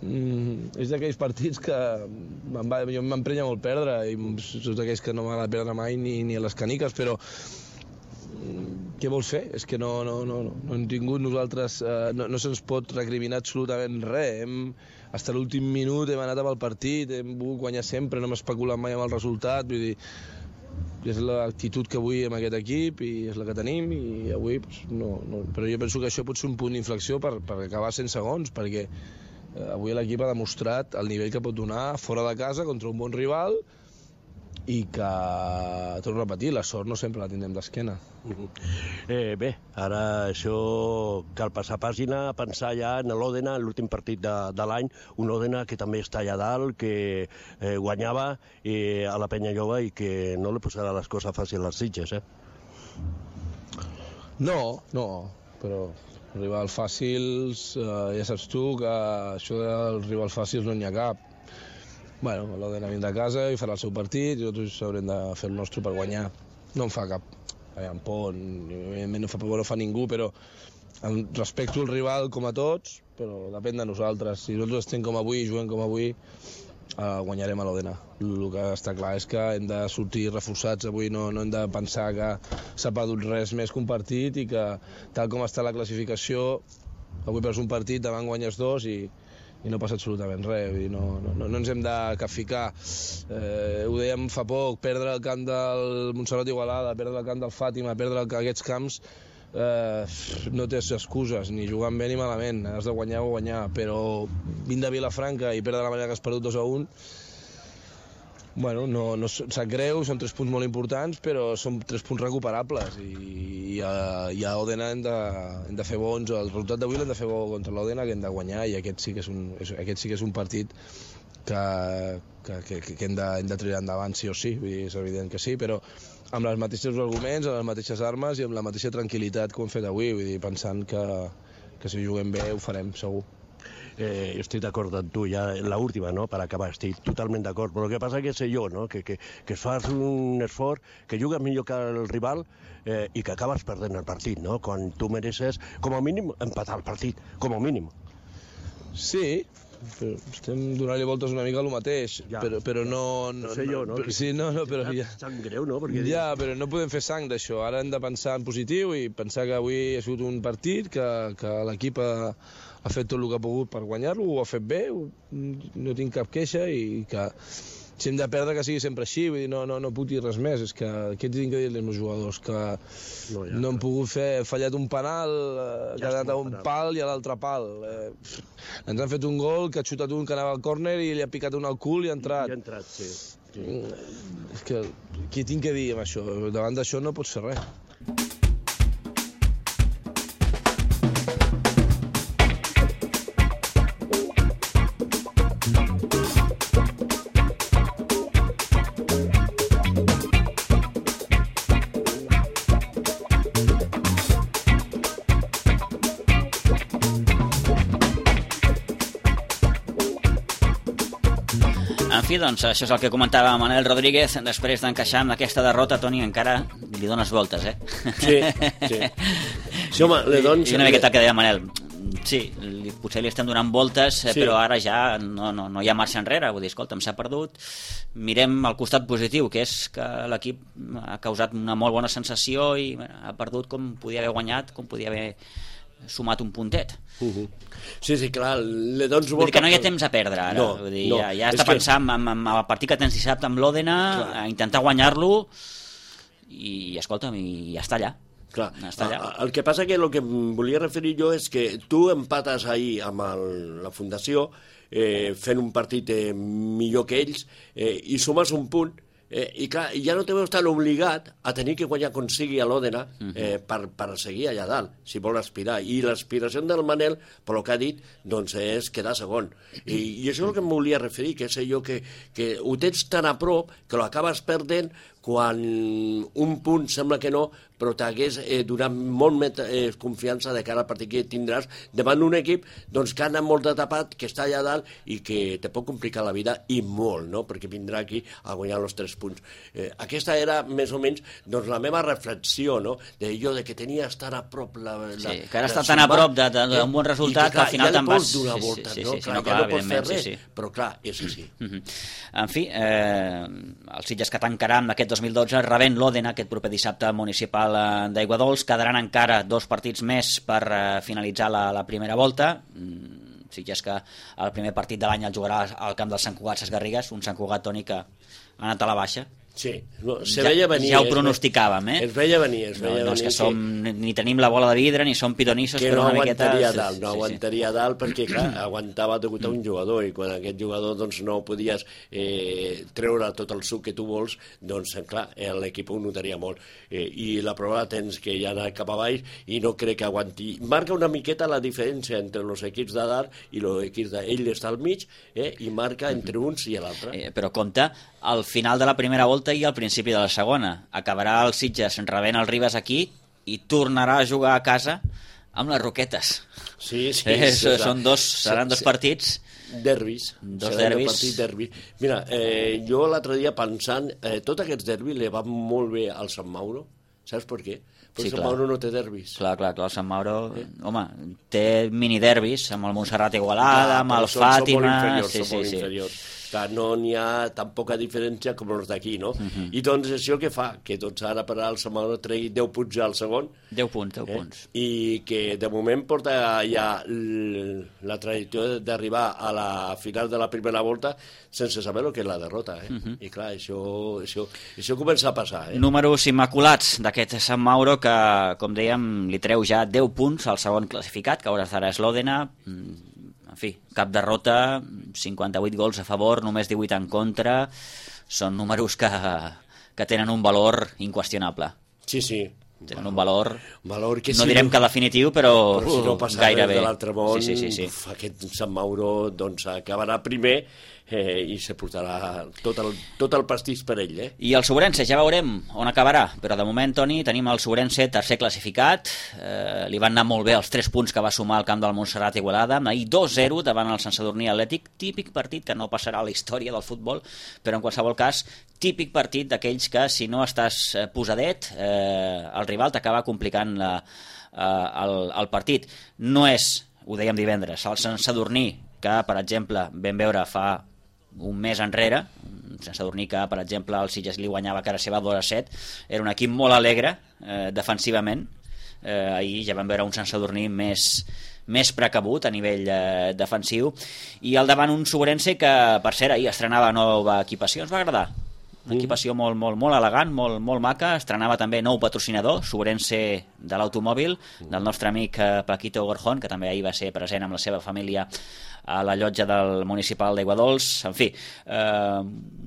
Mm, és d'aquells partits que em va, jo m'emprenya molt perdre, i és d'aquells que no m'agrada perdre mai ni, ni a les caniques, però mm, què vols fer? És que no, no, no, no, no hem tingut nosaltres, eh, no, no se'ns pot recriminar absolutament res. Hem, fins a l'últim minut hem anat amb el partit, hem volgut guanyar sempre, no hem especulat mai amb el resultat, vull dir, és l'actitud que avui amb aquest equip i és la que tenim, i avui doncs, no, no, però jo penso que això pot ser un punt d'inflexió per, per acabar cent segons, perquè eh, avui l'equip ha demostrat el nivell que pot donar fora de casa contra un bon rival i que, torno a repetir, la sort no sempre la tindrem d'esquena. Eh, bé, ara això cal passar pàgina, pensar ja en l'Òdena, l'últim partit de, de l'any, un Òdena que també està allà dalt, que eh, guanyava eh, a la Penya Jove i que no li posarà les coses fàcils als Sitges, eh? No, no, però rivals fàcils, eh, ja saps tu que això dels rivals fàcils no n'hi ha cap. Bueno, l'Òdena vindrà a casa i farà el seu partit i nosaltres haurem de fer el nostre per guanyar. No em fa cap en por, no fa por, no fa ningú, però respecto el rival com a tots, però depèn de nosaltres. Si nosaltres estem com avui, juguem com avui, eh, guanyarem a l'Òdena. El que està clar és que hem de sortir reforçats avui, no, no hem de pensar que s'ha perdut res més que un partit i que tal com està la classificació, avui perds un partit, davant guanyes dos i i no passa absolutament res, no, no, no ens hem de capficar. Eh, ho dèiem fa poc, perdre el camp del Montserrat Igualada, perdre el camp del Fàtima, perdre aquests camps, eh, no tens excuses, ni jugant bé ni malament, has de guanyar o guanyar, però vindre a Vilafranca i perdre la manera que has perdut dos a un, bueno, no, no sap greu, són tres punts molt importants, però són tres punts recuperables i, i, a, i a Òdena hem de, hem de fer bons, el resultat d'avui l'hem de fer bo contra l'Òdena, que hem de guanyar, i aquest sí que és un, és, aquest sí que és un partit que, que, que, que hem, de, hem de triar endavant sí o sí, vull dir, és evident que sí, però amb els mateixos arguments, amb les mateixes armes i amb la mateixa tranquil·litat que ho hem fet avui, vull dir, pensant que, que si juguem bé ho farem segur. Eh, estic d'acord amb tu, ja l'última, no?, per acabar, estic totalment d'acord, però el que passa que sé jo, no?, que, que, que fas un esforç, que jugues millor que el rival eh, i que acabes perdent el partit, no?, quan tu mereixes, com a mínim, empatar el partit, com a mínim. Sí, però estem donant-li voltes una mica al mateix, Ja. però, però no... no, No sé jo, no? Però, sí, no, no, però ja... Sang greu, no? Perquè Ja, però no podem fer sang d'això. Ara hem de pensar en positiu i pensar que avui ha sigut un partit, que, que l'equip ha, ha fet tot el que ha pogut per guanyar-lo, ho ha fet bé, ho, no tinc cap queixa i que si hem de perdre que sigui sempre així, vull dir, no, no, no puc dir res més, és que què tinc que dir als meus jugadors, que No, no, ja, no hem pogut fer, fallat un penal, eh, Ja que ha anat està a un penal. pal i a l'altre pal. Eh, ens han fet un gol, que ha xutat un que anava al córner i li ha picat un al cul i ha entrat. I ha entrat, sí. sí. És que, què tinc que dir amb això? Davant d'això no pots fer res. En fi, doncs, això és el que comentava Manel Rodríguez després d'encaixar amb aquesta derrota. Toni, encara li dones voltes, eh? Sí, sí. Sí, home, le dones... I una miqueta el que deia Manel. Sí, li, potser li estem donant voltes, eh, Sí. però ara ja no, no, no hi ha marxa enrere. Vull dir, escolta'm, s'ha perdut. Mirem el costat positiu, que és que l'equip ha causat una molt bona sensació i bé, ha perdut com podia haver guanyat, com podia haver sumat un puntet. Uh -huh. Sí, sí, clar, le dones Vull dir volta... que no hi ha temps a perdre ara. No, Vull dir, no. ja, ja És està que- pensant en, en, en el partit que tens dissabte amb l'Òdena, Clar. a intentar guanyar-lo i, escolta'm, i ja està allà. Clar, Està allà. a- el que passa que el que em volia referir jo és que tu empates ahir amb el, la Fundació eh, fent un partit eh, millor que ells eh, i sumes un punt eh, i clar, ja no te veus tan obligat a tenir que guanyar com sigui a l'Òdena eh, per, per seguir allà dalt, si vol aspirar. I l'aspiració del Manel, per el que ha dit, doncs és quedar segon. I, i això és el que em volia referir, que és allò que, que ho tens tan a prop que l'acabes perdent quan un punt sembla que no, però t'hagués eh, donat molt més eh, confiança de cara al partit que tindràs davant d'un equip doncs, que ha anat molt de tapat, que està allà dalt i que te pot complicar la vida i molt, no? Perquè vindrà aquí a guanyar els tres punts. Eh, aquesta era més o menys doncs, la meva reflexió, no? De jo, de que tenies tan a prop la... la Sí, que ara la està tan a sumar, prop de- de- d'un bon eh, resultat i que al final ja te'n li vas- pots donar sí, sí, voltes, sí, no? sí, sí, Clar, no, ja clar, no pots fer evidentment, res, sí, sí. però clar, és així. Mhm. En fi, eh, el Sitges que tancarà amb aquest dos mil dotze rebent l'Òdena aquest proper dissabte municipal eh, d'Aiguadols. Quedaran encara dos partits més per eh, finalitzar la, la primera volta. Mm, Sitges que el primer partit de l'any el jugarà al camp del Sant Cugat Ses Garrigues, un Sant Cugat, Toni, que ha anat a la baixa. Sí, no, se Ja- veia venir. ja ho es ve- pronosticàvem, eh? Es veia venir, es No, veia no és venir. que som, ni tenim la bola de vidre ni som pidonissos, que però no una miqueta... aguantaria sí, dalt, no sí, sí. aguantaria dalt perquè, clar, aguantava degut a un jugador i quan aquest jugador doncs, no podies eh, treure tot el suc que tu vols, doncs, clar, eh, l'equip ho notaria molt. Eh, I la prova tens que ja anar cap a baix i no crec que aguanti. Marca una miqueta la diferència entre els equips de dalt i els equips de... Ell està al mig eh, i marca entre uns i l'altre. Eh, però compte, al final de la primera volta i al principi de la segona. Acabarà el Sitges rebent el Ribes aquí i tornarà a jugar a casa amb les Roquetes. Sí, sí. Eh, serà- són dos, seran dos sí. partits. Derbis. Dos Seran derbis. un partit derbi. Mira, eh, jo l'altre dia pensant, eh, tots aquests derbis li van molt bé al Sant Mauro. Saps per què? Perquè Sí, Sant clar. Mauro no té derbis. Clar, clar, clar, el Sant Mauro, eh. home, té miniderbis amb el Montserrat Igualada, Clar, amb però el són- són molt Fàtima... inferiors, sí, són sí, molt sí. inferiors. Clar, no n'hi ha tan poca diferència com els d'aquí, no? Uh -huh. I doncs això que fa? Que doncs ara per al Sant Mauro tregui deu punts ja al segon, deu punts, deu eh? punts. I que de moment porta ja l- la trajectòria d'arribar a la final de la primera volta sense saber el que és la derrota, eh? Uh -huh. I clar, això, això, això comença a passar, eh? Números immaculats d'aquest Sant Mauro que, com dèiem, li treu ja deu punts al segon classificat, que a hores d'ara és l'Òdena. En fi, cap derrota, cinquanta-vuit gols a favor, només divuit en contra. Són números que, que tenen un valor inqüestionable. Sí, sí. Tenen un valor, valor que no si direm que definitiu, però, però si no passa gairebé. res de l'altre món, Sí, sí, sí, sí. uf, aquest Sant Mauro doncs, acabarà primer eh, i se portarà tot el, tot el pastís per ell, eh? I el Sobrense, ja veurem on acabarà, però de moment, Toni, tenim el Sobrense tercer classificat, eh, li van anar molt bé els tres punts que va sumar al camp del Montserrat Igualada, ahir dos zero davant el Sant Sadurní Atlètic, típic partit que no passarà a la història del futbol, però en qualsevol cas, típic partit d'aquells que si no estàs eh, posadet, eh, el rival t'acaba complicant la, eh, el, el partit. No és, ho dèiem divendres, el Sant Sadurní que, per exemple, vam veure fa un mes enrere, Sant Sadurní que, per exemple, el Sitges li guanyava a cara seva dos a set, era un equip molt alegre eh, defensivament. Eh, ahir ja vam veure un Sant Sadurní més, més precabut a nivell eh, defensiu, i al davant un Sobrense que, per cert, ahir estrenava nova equipació. Ens va agradar, una equipació molt, molt, molt elegant, molt, molt maca. Estrenava també nou patrocinador, Sobrense de l'automòbil, del nostre amic eh, Paquito Gorjón, que també ahir va ser present amb la seva família a la llotja del municipal d'Aiguadols. En fi, eh,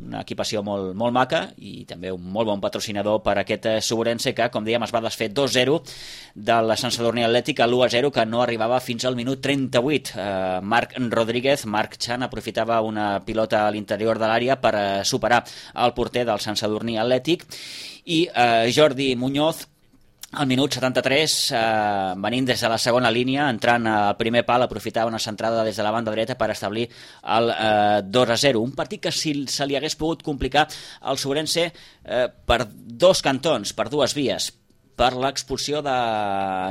una equipació molt, molt maca, i també un molt bon patrocinador per aquest Sobrense que, com dèiem, es va desfer dos a zero de la Sant Sadurní Atlètic a l'u a zero, que no arribava fins al minut trenta-vuit. Eh, Marc Rodríguez, Marc Chan, aprofitava una pilota a l'interior de l'àrea per eh, superar el porter del Sant Sadurní Atlètic, i eh, Jordi Muñoz, al minut setanta-tres, eh, venint des de la segona línia, entrant al primer pal, aprofitava una centrada des de la banda dreta per establir el eh, dos a zero. Un partit que, si se li hagués pogut complicar al Sobrense eh, per dos cantons, per dues vies, per l'expulsió de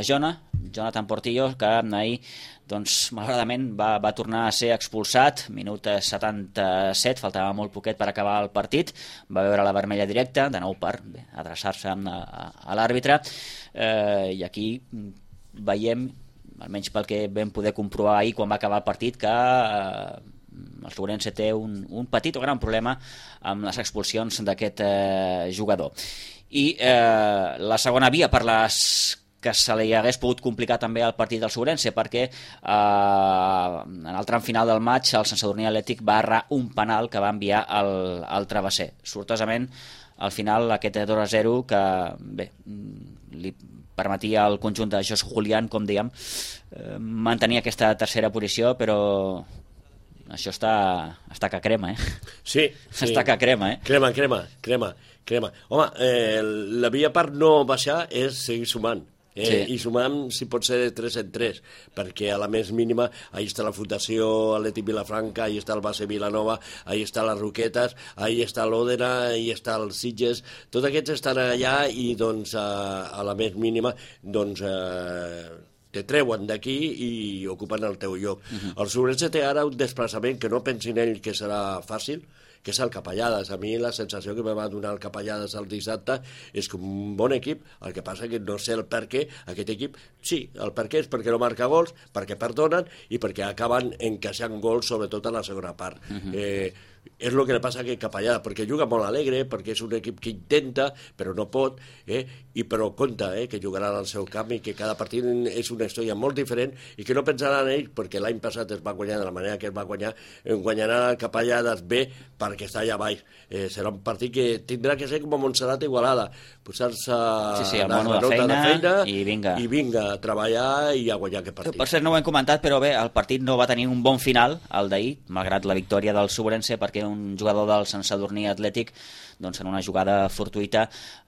Jona, Jonathan Portillo, que ahir, doncs, malauradament va, va tornar a ser expulsat, minut setanta-set, faltava molt poquet per acabar el partit, va veure la vermella directa, de nou per bé, adreçar-se a, a, a l'àrbitre, eh, i aquí veiem, almenys pel que vam poder comprovar ahir quan va acabar el partit, que eh, el Sobrense té un, un petit o gran problema amb les expulsions d'aquest eh, jugador. I eh, la segona via per les que se li hagués pogut complicar també el partit del Sobrense, perquè eh, en el tram final del maig el Sant Sadurní Atlètic va errar un penal que va enviar al, al travesser. Sortosament, al final, aquest dos a zero que, bé, li permetia al conjunt de Jos Julián, com dèiem, eh, mantenir aquesta tercera posició, però això està, està que crema, eh? Sí, sí. Està que crema, eh? Crema, crema, crema, crema. Home, eh, la via per no baixar és seguir sumant. Eh, sí. I sumant, si pot ser, de tres en tres, perquè a la més mínima ahí està la Fundació Atlètic Vilafranca, ahí està el Base Vilanova, ahí està les Roquetes, ahí està l'Òdena, ahí està el Sitges, tots aquests estan allà, i doncs a, a la més mínima doncs eh, te treuen d'aquí i ocupen el teu lloc. Uh-huh. El Sobrense té ara un desplaçament que no pensin ell que serà fàcil, que és el Capellades. A mi la sensació que me va donar el Capellades el dissabte és que un bon equip, el que passa que no sé el per què aquest equip, sí, el per què és perquè no marca gols, perquè perdonen i perquè acaben encaixant gols, sobretot a la segona part. Uh-huh. eh, és el que li passa a aquest Capellades, perquè juga molt alegre, perquè és un equip que intenta però no pot, eh? I però compta eh? que jugaran al seu camp i que cada partit és una història molt diferent i que no pensaran ells, perquè l'any passat es va guanyar de la manera que es va guanyar, guanyaran el Capellades bé perquè està allà baix. Eh, serà un partit que tindrà que ser com a Montserrat Igualada, posar-se sí, sí, la nota de feina, de feina i, vinga. i vinga a treballar i a guanyar aquest partit. Per cert, no ho hem comentat, però bé, el partit no va tenir un bon final, el d'ahir, malgrat la victòria del Sobrense, perquè un jugador del Sant Sadurní Atlètic, doncs en una jugada fortuïta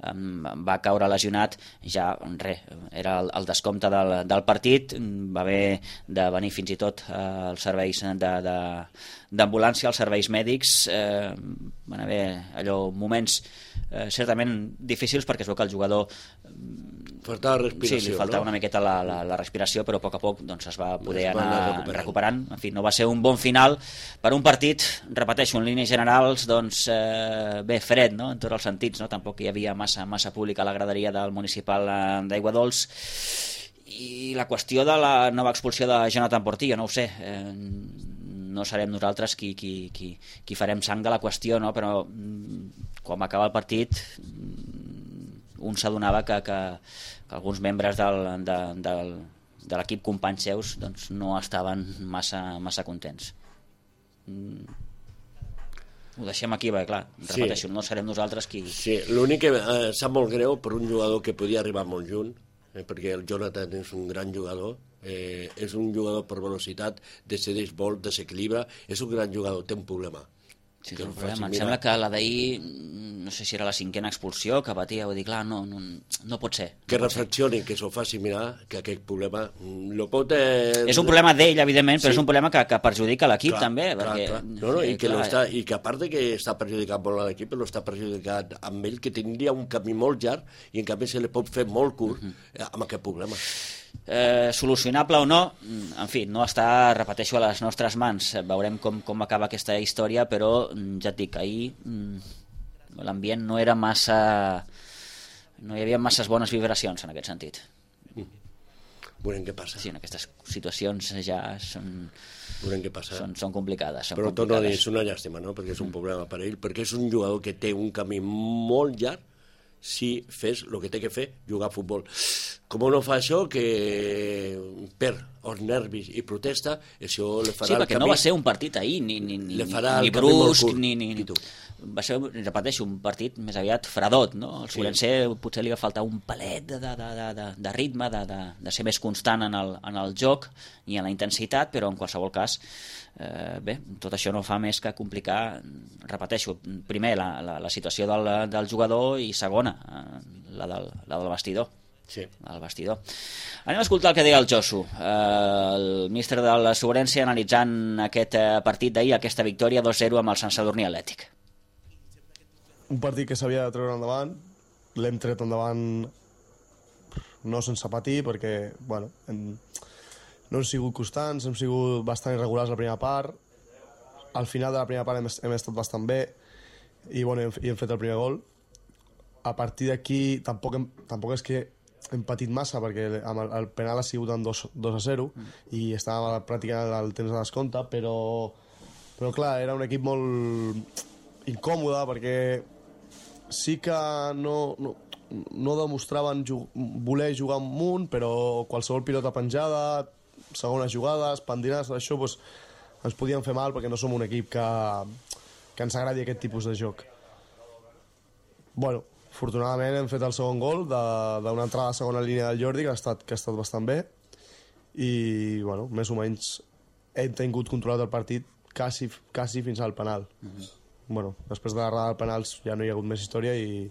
um, va caure lesionat, ja res, era el, el descompte del, del partit, va haver de venir fins i tot eh, els serveis de, de, d'ambulància, els serveis mèdics, eh, van haver allò moments eh, certament difícils, perquè es veu que el jugador faltava respiració, sí, li faltava no? una miqueta la, la, la respiració, però a poc a poc doncs, es va poder es va anar, anar recuperant. recuperant. En fi, no va ser un bon final per un partit, repeteixo, en línies generals, doncs, eh, bé, fred, no?, en tots els sentits, no? Tampoc hi havia massa, massa públic a la graderia del municipal d'Aiguadols, i la qüestió de la nova expulsió de Jonathan Portillo, no ho sé, eh, no serem nosaltres qui, qui, qui, qui farem sang de la qüestió, no? Però quan va acabar el partit un s'adonava que, que, que alguns membres del, de, del, de l'equip companys seus doncs, no estaven massa, massa contents. Mm. Ho deixem aquí, perquè clar, repeteixo, sí. No serem nosaltres qui... Sí, l'únic que eh, sap molt greu per un jugador que podia arribar molt junt, eh, perquè el Jonathan és un gran jugador, eh, és un jugador per velocitat, decideix molt, desequilibra, és un gran jugador, té un problema. Sí, que un problema. Em sembla que la d'ahir, no sé si era la cinquena expulsió que patia, vull dir, clar, no, no, no pot ser. No que pot reflexioni, ser. Que s'ho faci mirar, que aquest problema lo pot... Eh... És un problema d'ell, evidentment, però sí. És un problema que, que perjudica l'equip també. Clar, perquè, clar. No, no, i, que clar, està, i que a part de que està perjudicant molt a l'equip, lo està perjudicant amb ell, que tindria un camí molt llarg i en canvi se li pot fer molt curt uh-huh. amb aquest problema. Eh, solucionable o no, en fi, no està, repeteixo, a les nostres mans. Veurem com, com acaba aquesta història, però ja et dic, ahir l'ambient no era massa... no hi havia masses bones vibracions en aquest sentit. Veurem què passa. Sí, en aquestes situacions ja són... Veurem què passa. Són, són complicades. Són però complicades. torno a dir, és una llàstima, no? Perquè és un problema per ell, perquè és un jugador que té un camí molt llarg si fes el que té que fer, jugar a futbol. Com no fa això, que per els nervis i protesta, això le farà sí, el perquè camí... no va ser un partit ahir, ni, ni, ni, le farà ni el camí molt brusc, curt. ni, ni, ni... Va ser, repeteixo, un partit més aviat fredot, no? El Sobrense sí. Potser li va faltar un palet de, de, de, de, de ritme, de, de, de ser més constant en el, en el joc i en la intensitat, però en qualsevol cas, eh, bé, tot això no fa més que complicar, repeteixo, primer la, la, la situació del, del jugador i segona, eh, la, del, la del vestidor. Sí. Al vestidor. Anem a escoltar el que deia el Josu, eh, el míster de la Sobrense, analitzant aquest eh, partit d'ahir, aquesta victòria dos zero amb el Sant Sadurní Atlètic. Un partit que s'havia de treure endavant, l'hem tret endavant no sense patir, perquè bueno, hem, no hem sigut constants, hem sigut bastant irregulars la primera part, al final de la primera part hem, hem estat bastant bé i, bueno, hem, i hem fet el primer gol. A partir d'aquí tampoc, hem, tampoc és que hem patit massa, perquè amb el, el penal ha sigut en dos a zero mm. i estàvem pràcticament al temps de descompte, però, però clar, era un equip molt incòmode, perquè sí que no, no, no demostraven jug, voler jugar amunt, però qualsevol pilota penjada, segones jugades, pendinades, això doncs, ens podien fer mal, perquè no som un equip que, que ens agradi aquest tipus de joc. Bueno, afortunadament hem fet el segon gol d'una entrada a segona línia del Jordi, que ha estat, que ha estat bastant bé, i bueno, més o menys hem tingut controlat el partit quasi, quasi fins al penal. Mm-hmm. Bueno, després de l'errada del penals ja no hi ha hagut més història i,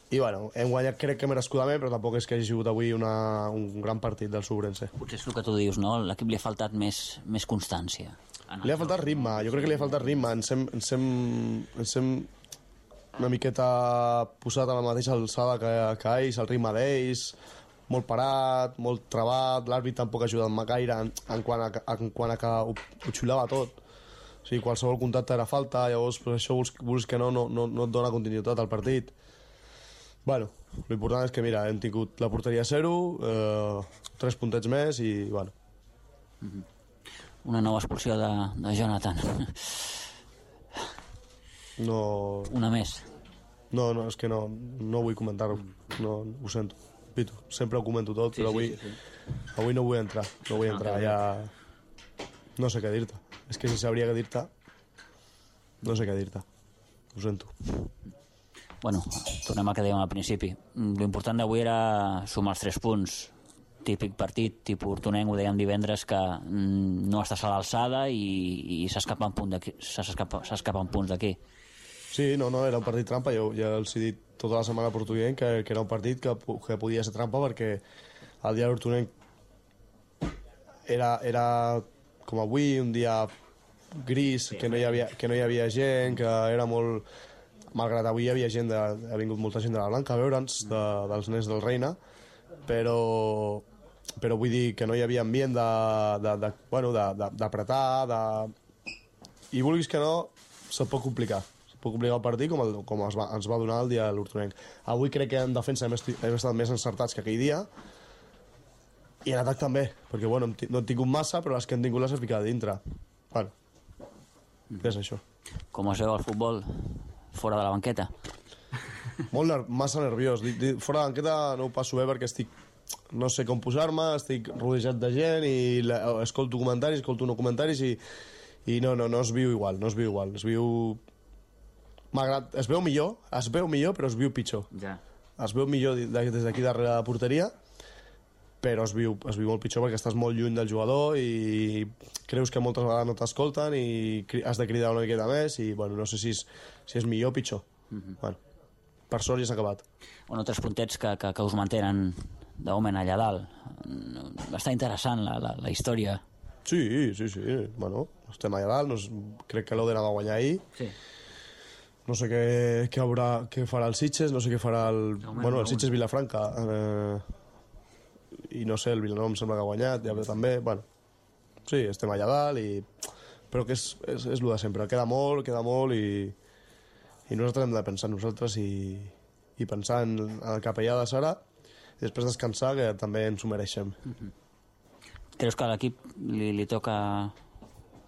i bueno, hem guanyat crec que merescudament, però tampoc és que hagi sigut avui una, un gran partit del Sobrense. Potser és el que tu dius, no? L'equip li ha faltat més, més constància. Li ha faltat ritme, jo crec que li ha faltat ritme. Ens hem, ens hem, ens hem una miqueta posat a la mateixa alçada que, que ells, el ritme d'ells, molt parat, molt trebat, l'àrbit tampoc ha ajudat gaire en, en, quant a, en quant a que ho, ho xulava tot. O sigui, qualsevol contacte era falta, llavors pues, això vols, vols que no, no, no, no et dona continuïtat al partit. Bueno, l'important és que, mira, hem tingut la porteria a zero, eh, tres puntets més i, bueno. Una nova expulsió de, de Jonathan. No... Una més. No, no, és que no, no vull comentar-ho. No, ho sento. Pitu, sempre ho comento tot, sí, però avui, sí, sí. avui no vull entrar. No vull entrar, ja... No sé què dir-te. És que si sabria què dir-te, no sé què dir-te. Ho sento. Bueno, tornem al que dèiem al principi. L'important d'avui era sumar els tres punts. Típic partit, tipus Hortonenc, ho dèiem divendres, que no estàs a l'alçada i, i s'escapa un punt d'aquí, s'escapa un punts d'aquí. Sí, no, no, era un partit trampa. Jo ja els he dit tota la setmana a Portuguenc que, que era un partit que, que podia ser trampa, perquè el dia d'Hortonenc era... era com avui, un dia gris, que no hi havia, que no hi havia gent, que era molt... Malgrat avui hi havia gent, de, ha vingut molta gent de la Blanca a veure'ns, de, dels nens del Reina, però, però vull dir que no hi havia ambient de, de, de, bueno, d'apretar, de, de... i vulguis que no, se't pot complicar. Se't pot complicar el partit com, el, com es va, ens va donar el dia de l'Hortonenc. Avui crec que en defensa hem, esti, hem estat més encertats que aquell dia, i en atac també, perquè bueno, no hem tingut massa, però les que hem tingut les hem ficat dintre. Bueno, què és això? Com es veu el futbol fora de la banqueta? Molt ner massa nerviós. Fora de la banqueta no ho passo bé perquè estic... No sé com posar-me, estic rodejat de gent i la, escolto comentaris, escolto no comentaris i, i no, no, no es viu igual, no es viu igual. Es viu... Malgrat... Es veu millor, es veu millor, però es viu pitjor. Ja. Es veu millor des d'aquí darrere la porteria, però es viu, es viu molt pitjor perquè estàs molt lluny del jugador i creus que moltes vegades no t'escolten i has de cridar una miqueta més i bueno, no sé si és, si és millor o pitjor. Mm-hmm. Bueno, per sort ja s'ha acabat. Bueno, tres puntets que, que, que us mantenen de moment allà dalt. Està interessant la, la, la història. Sí, sí, sí. Bueno, estem allà dalt. No, crec que l'Odena va guanyar ahir. Sí. No sé què, què, haurà, què farà el Sitges, no sé què farà el... No, bueno, el Sitges Vilafranca. Eh, i no sé, el Vilanova em sembla que ha guanyat, ja també, bueno, sí, estem allà dalt, i... però que és, és, és el de sempre, queda molt, queda molt, i, i nosaltres hem de pensar en nosaltres i, i pensar en el capellà de Sara, i després descansar, que també ens ho mereixem. Mm-hmm. Creus que a l'equip li, li toca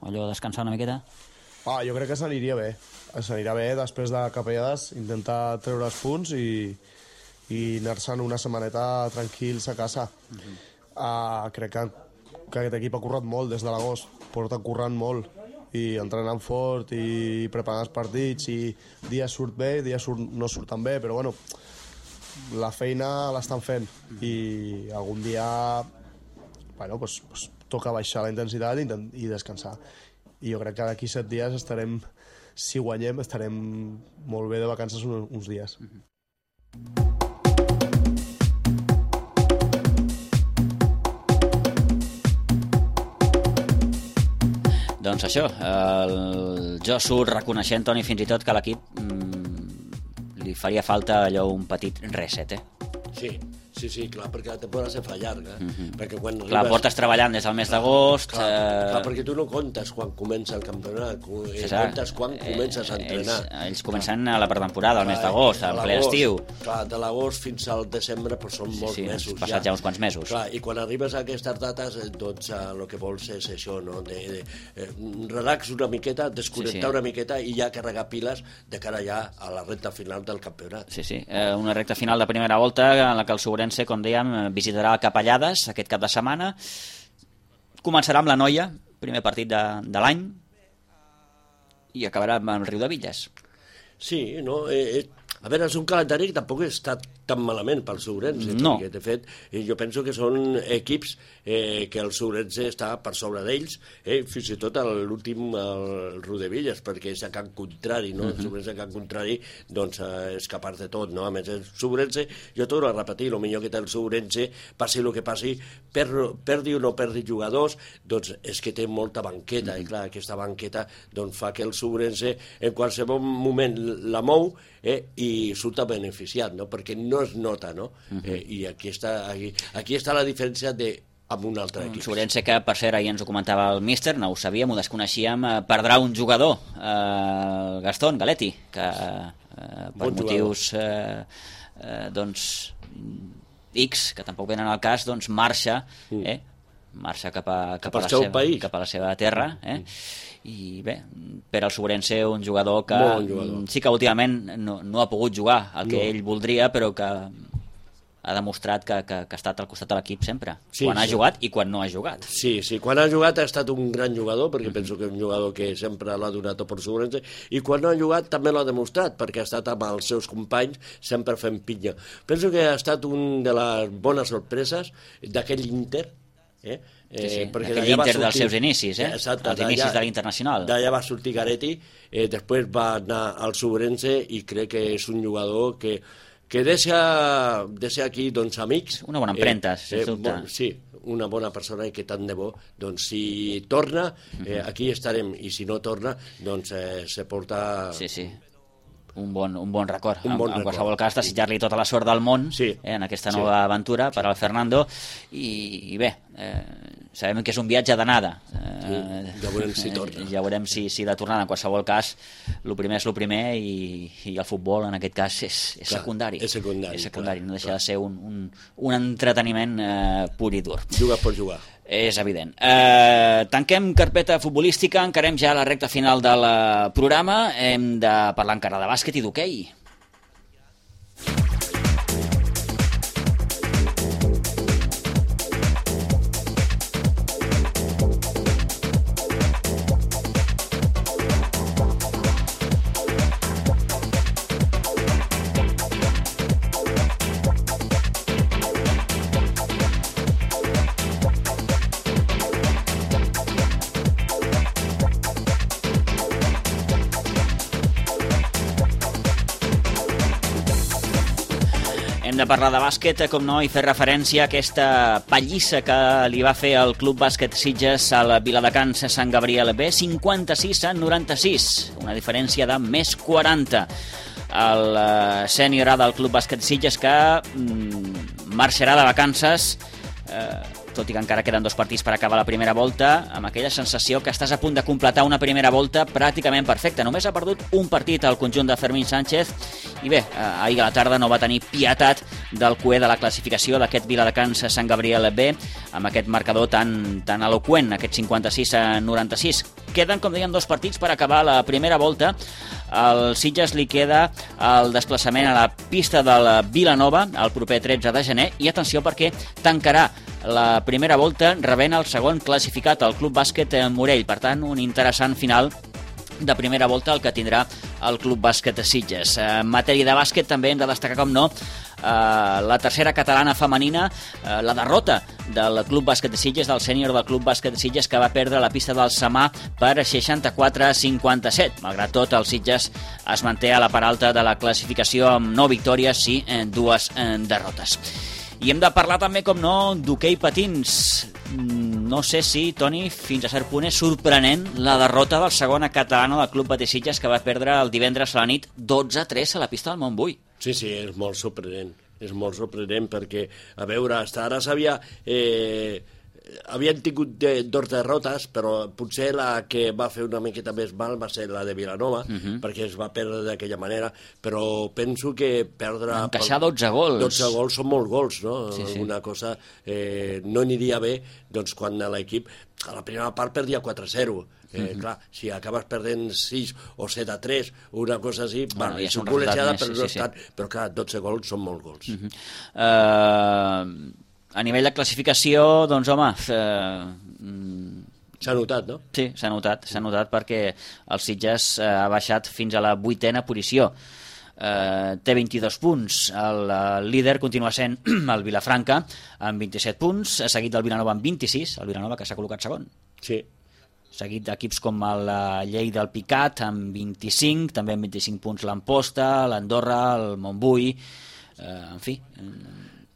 allò descansar una miqueta? Ah, jo crec que s'aniria bé. S'anirà bé després de capellades, intentar treure els punts i, i anar-se'n una setmaneta tranquils a casa. Mm-hmm. Ah, crec que, que aquest equip ha currat molt des de l'agost, porta currant molt i entrenant fort i preparant els partits, i dia surt bé, dia surt, no surt tan bé, però bueno, la feina l'estan fent i algun dia bueno, pues, pues, toca baixar la intensitat i, i descansar. I jo crec que d'aquí set dies estarem, si guanyem, estarem molt bé de vacances uns, uns dies. Doncs això, el Josu reconeixent, Toni, fins i tot que a l'equip mmm, li faria falta allò un petit reset, eh? Sí, sí, sí, clar, perquè la temporada se fa llarga. Mm-hmm. Perquè quan clar, arribes... portes treballant des del mes d'agost... Clar, eh... clar, perquè tu no comptes quan comença el campionat, sí, comptes quan eh, comences a entrenar. Ells, ells comencen a la pretemporada, al mes d'agost, al ple estiu. Clar, de l'agost fins al desembre pues, són sí, molts sí, mesos. Sí, passat ja. ja uns quants mesos. Clar, i quan arribes a aquestes dates, doncs el que vols és això, no? De, de, eh, relax una miqueta, desconnectar sí, sí. una miqueta i ja carregar piles de cara ja a la recta final del campionat. Sí, sí, eh, una recta final de primera volta en la que el Sobrense, com dèiem, visitarà Capellades aquest cap de setmana. Començarà amb la Noia, primer partit de, de l'any, i acabarà amb el Riu de Villes. Sí, no? Eh, eh, a veure, és un calendari que tampoc està tan malament pel Sobrense. No. Perquè, de fet, jo penso que són equips eh, que el Sobrense està per sobre d'ells, eh, fins i tot l'últim, el Riu de Villes, perquè és a Can Contrari, no? Uh-huh. El Sobrense a Can Contrari, doncs, eh, és capaç de tot, no? A més, el Sobrense, jo torno a repetir, el millor que té el Sobrense, passi el que passi, per, perdi o no perdi jugadors, doncs és que té molta banqueta, uh-huh. i clar, aquesta banqueta doncs, fa que el Sobrense en qualsevol moment la mou eh, i surt beneficiat, no? Perquè no es nota, no? Uh-huh. eh, I aquí està, aquí, aquí està la diferència de amb un altre equip. Sobrense que, per cert, ahir ens ho comentava el míster, no ho sabíem, ho desconeixíem, eh, perdrà un jugador, eh, Gastón Galetti, que eh, per bon motius eh, eh, doncs X, que tampoc venen al cas, doncs marxa, eh? marxa cap a, cap, cap, a la seva, cap a la seva terra, eh? I bé, per al Sobrense un jugador que bon jugador. Sí que últimament no, no ha pogut jugar el que no. ell voldria, però que ha demostrat que, que, que ha estat al costat de l'equip sempre, sí, quan ha sí. jugat i quan no ha jugat. Sí, sí, quan ha jugat ha estat un gran jugador, perquè mm-hmm. penso que és un jugador que sempre l'ha donat per Sobrense, i quan no ha jugat també l'ha demostrat, perquè ha estat amb els seus companys sempre fent pinya. Penso que ha estat un de les bones sorpreses d'aquell Inter, eh? Sí, sí. Eh, perquè aquell Inter sortir... dels seus inicis, eh? Exacte, els inicis de l'Internacional. D'allà va sortir Garetti, eh, després va anar al Sobrense i crec que és un jugador que, que deixa, deixa aquí doncs, amics. Una bona empremta, eh, sens eh, dubte. Bon, sí, una bona persona i que tant de bo, doncs si torna, eh, aquí estarem, i si no torna, doncs eh, se porta... Sí, sí. Un bon, un bon record. Un bon en, en record. qualsevol cas, desitjar-li tota la sort del món sí. eh, en aquesta nova sí. aventura per al Fernando. I, i bé, eh, sabem que és un viatge d'anada. Eh, sí. Ja veurem si torna. Ja veurem si, si de tornada. En qualsevol cas, el primer és el primer i, i el futbol, en aquest cas, és, és clar, secundari. És secundari. És secundari. Clar, no deixa clar. de ser un, un, un entreteniment eh, pur i dur. Jugar per jugar. És evident. Eh, tanquem carpeta futbolística, encarem ja la recta final del programa. Hem de parlar encara de bàsquet i d'hoquei. De parlar de bàsquet, com no, i fer referència a aquesta pallissa que li va fer el Club Bàsquet Sitges al Viladecans Sant Gabriel B, cinquanta-sis a noranta-sis, una diferència de més quaranta. El sènior A del Club Bàsquet Sitges que mm, marxarà de vacances eh, tot i que encara queden dos partits per acabar la primera volta, amb aquella sensació que estàs a punt de completar una primera volta pràcticament perfecta. Només ha perdut un partit al conjunt de Fermín Sánchez i bé, eh, ahir a la tarda no va tenir pietat del cué de la classificació d'aquest Viladecans Sant Gabriel B, amb aquest marcador tan, tan eloqüent, aquest cinquanta-sis a noranta-sis. Queden, com dèiem, dos partits per acabar la primera volta. Al Sitges li queda el desplaçament a la pista de la Vilanova el proper tretze de gener i atenció perquè tancarà la primera volta rebent el segon classificat, el Club Bàsquet Morell. Per tant, un interessant final de primera volta el que tindrà el Club Bàsquet Sitges. En matèria de bàsquet també hem de destacar, com no, la tercera catalana femenina, la derrota del Club Bàsquet de Sitges, del sènior del Club Bàsquet de Sitges, que va perdre la pista del Samà per seixanta-quatre a cinquanta-set. Malgrat tot, el Sitges es manté a la part alta de la classificació amb nou victòries i dues derrotes. I hem de parlar també, com no, d'hoquei patins. No sé si, Toni, fins a cert punt és sorprenent la derrota del segona catalana del Club Patí Sitges, que va perdre el divendres a la nit dotze a tres a la pista del Montbui. Sí, sí, és molt sorprenent. És molt sorprenent perquè, a veure, fins ara s'havia... Eh, havien tingut de, dos derrotes, però potser la que va fer una miqueta més mal va ser la de Vilanova, uh-huh. perquè es va perdre d'aquella manera, però penso que perdre... Encaixar dotze gols. dotze gols són molts gols, no? Sí, sí. Una cosa eh, no aniria bé doncs, quan l'equip a la primera part perdia quatre a zero. Eh, uh-huh. Clar, si acabes perdent sis o set a tres, una cosa així, bueno, bueno, és un col·legiada, però, sí, no sí, sí. però clar, dotze gols són molts gols. Uh-huh. Uh... A nivell de classificació, doncs, home... Eh, s'ha notat, no? Sí, s'ha notat, s'ha notat perquè el Sitges eh, ha baixat fins a la vuitena posició. Eh, té vint-i-dos punts. El, el líder continua sent el Vilafranca, amb vint-i-set punts, seguit del Vilanova amb vint-i-sis, el Vilanova que s'ha col·locat segon. Sí. Seguit d'equips com el Lleida del Picat, amb vint-i-cinc, també amb vint-i-cinc punts l'Amposta, l'Andorra, el Montbui, eh, en fi...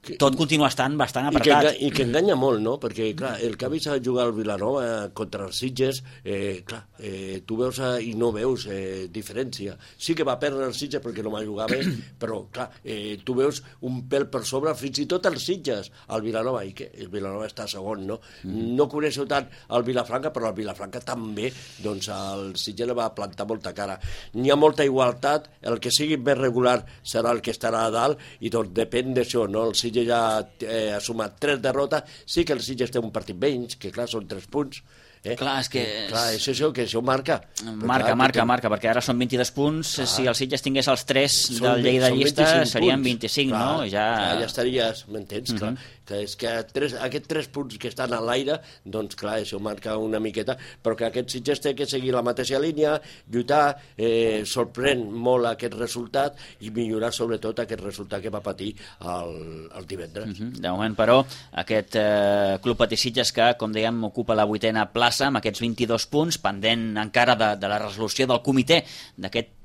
Que, tot continua estant bastant apretat. I que, i que enganya molt, no? Perquè, clar, el que ha vist a jugar al Vilanova contra els Sitges, eh, clar, eh, tu veus a, i no veus eh, diferència. Sí que va perdre el Sitges perquè no va jugar bé, però, clar, eh, tu veus un pèl per sobre, fins i tot els Sitges, al Vilanova, i que el Vilanova està segon, no? Mm. No coneixo tant el Vilafranca, però el Vilafranca també, doncs, el Sitges li va plantar molta cara. N'hi ha molta igualtat, el que sigui més regular serà el que estarà a dalt, i doncs depèn d'això, no? El Sitges ja eh, ha sumat tres derrotes, sí que el Sitges té un partit menys, que clar, són tres punts. Eh? Clar, és que... Clar, és això que això marca. Marca, clar, marca, que... marca, perquè ara són vint-i-dos punts, clar. Si el Sitges tingués els tres són, del Lleida de llista, serien vint-i-cinc, clar, no? Ja... Clar, ja estaries, m'entens? Uh-huh. Clar. Que és que tres, aquests tres punts que estan a l'aire, doncs clar, això marca una miqueta, però que aquest Sitges té que seguir la mateixa línia, lluitar, eh, sorprèn molt aquest resultat i millorar sobretot aquest resultat que va patir el, el divendres. Uh-huh. De moment, però, aquest eh, Club Patí Sitges que, com dèiem, ocupa la vuitena plaça amb aquests vint-i-dos punts, pendent encara de, de la resolució del comitè d'aquest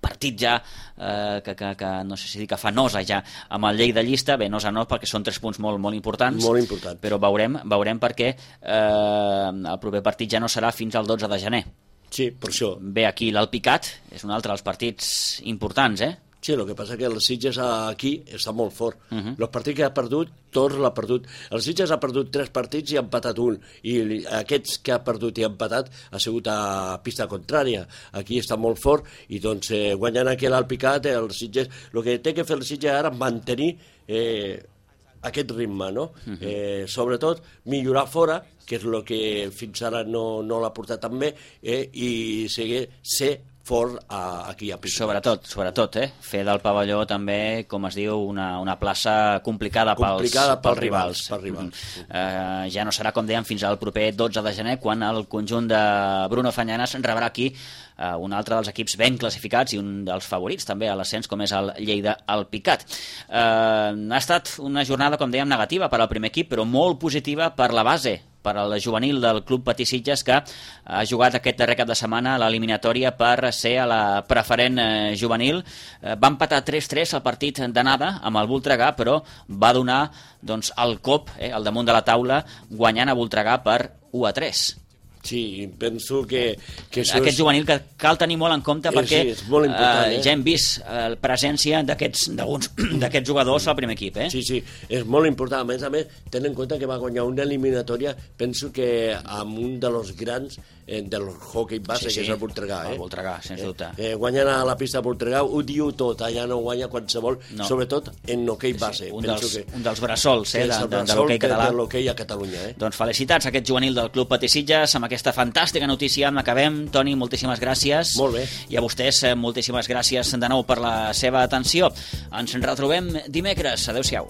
partit ja, eh, que, que, que no sé si dir que fa nosa ja amb el Lleida llista, bé, nosa no, perquè són tres punts molt, molt importants, molt important. Però veurem, veurem perquè eh, el proper partit ja no serà fins al dotze de gener. Sí, per això. Bé, aquí l'Alpicat és un altre dels partits importants, eh? Sí, el que passa és que el Sitges aquí està molt fort. Uh-huh. El partit que ha perdut, tots l'ha perdut. El Sitges ha perdut tres partits i ha empatat un. I aquests que ha perdut i ha empatat ha sigut a pista contrària. Aquí està molt fort i doncs eh, guanyant aquí l'Alpicat, el Sitges... El que té que fer el Sitges ara és mantenir eh, aquest ritme, no? Uh-huh. eh, sobretot millorar fora, que és el que fins ara no, no l'ha portat tan bé, eh, i seguir, ser fort a, aquí a Pisos. Sobretot, sobretot, eh? Fer del pavelló també, com es diu, una, una plaça complicada, complicada pels, pels rivals. pels rivals. Mm. Uh, ja no serà, com dèiem, fins al proper dotze de gener, quan el conjunt de Bruno Fanyanes rebrà aquí uh, un altre dels equips ben classificats i un dels favorits també a l'ascens, com és el Lleida Alpicat. Uh, ha estat una jornada, com dèiem, negativa per al primer equip, però molt positiva per la base, per al juvenil del Club Patí Sitges, que ha jugat aquest darrer cap de setmana a l'eliminatòria per ser a la preferent eh, juvenil. Eh, va empatar tres tres al partit d'anada amb el Voltregà, però va donar doncs, el cop eh, al damunt de la taula, guanyant a Voltregà per u a tres. Sí, penso que, que això Aquest és... juvenil que cal tenir molt en compte perquè sí, és molt important, eh, eh? ja hem vist eh, la presència d'aquests d'alguns d'aquests jugadors al primer equip, eh? Sí, sí, és molt important. A més a més, ten en compte que va guanyar una eliminatòria, penso que amb un dels grans eh, del hockey base, Sí, sí, que és el Voltregà. Eh? el Voltregà, sens dubte. Eh, eh, guanyant a la pista Voltregà ho diu tot, allà no guanya qualsevol, No. sobretot en hoquei base. Sí, un, penso dels, que, un dels bressols eh, que de, és el de, de bressol l'hoquei que- català. de l'hoquei a Catalunya. Eh? Doncs felicitats a aquest juvenil del Club Patí Sitges. Amb aquesta fantàstica notícia en acabem. Toni, moltíssimes gràcies. Molt bé. I a vostès, eh, moltíssimes gràcies de nou per la seva atenció. Ens retrobem dimecres. Adéu-siau.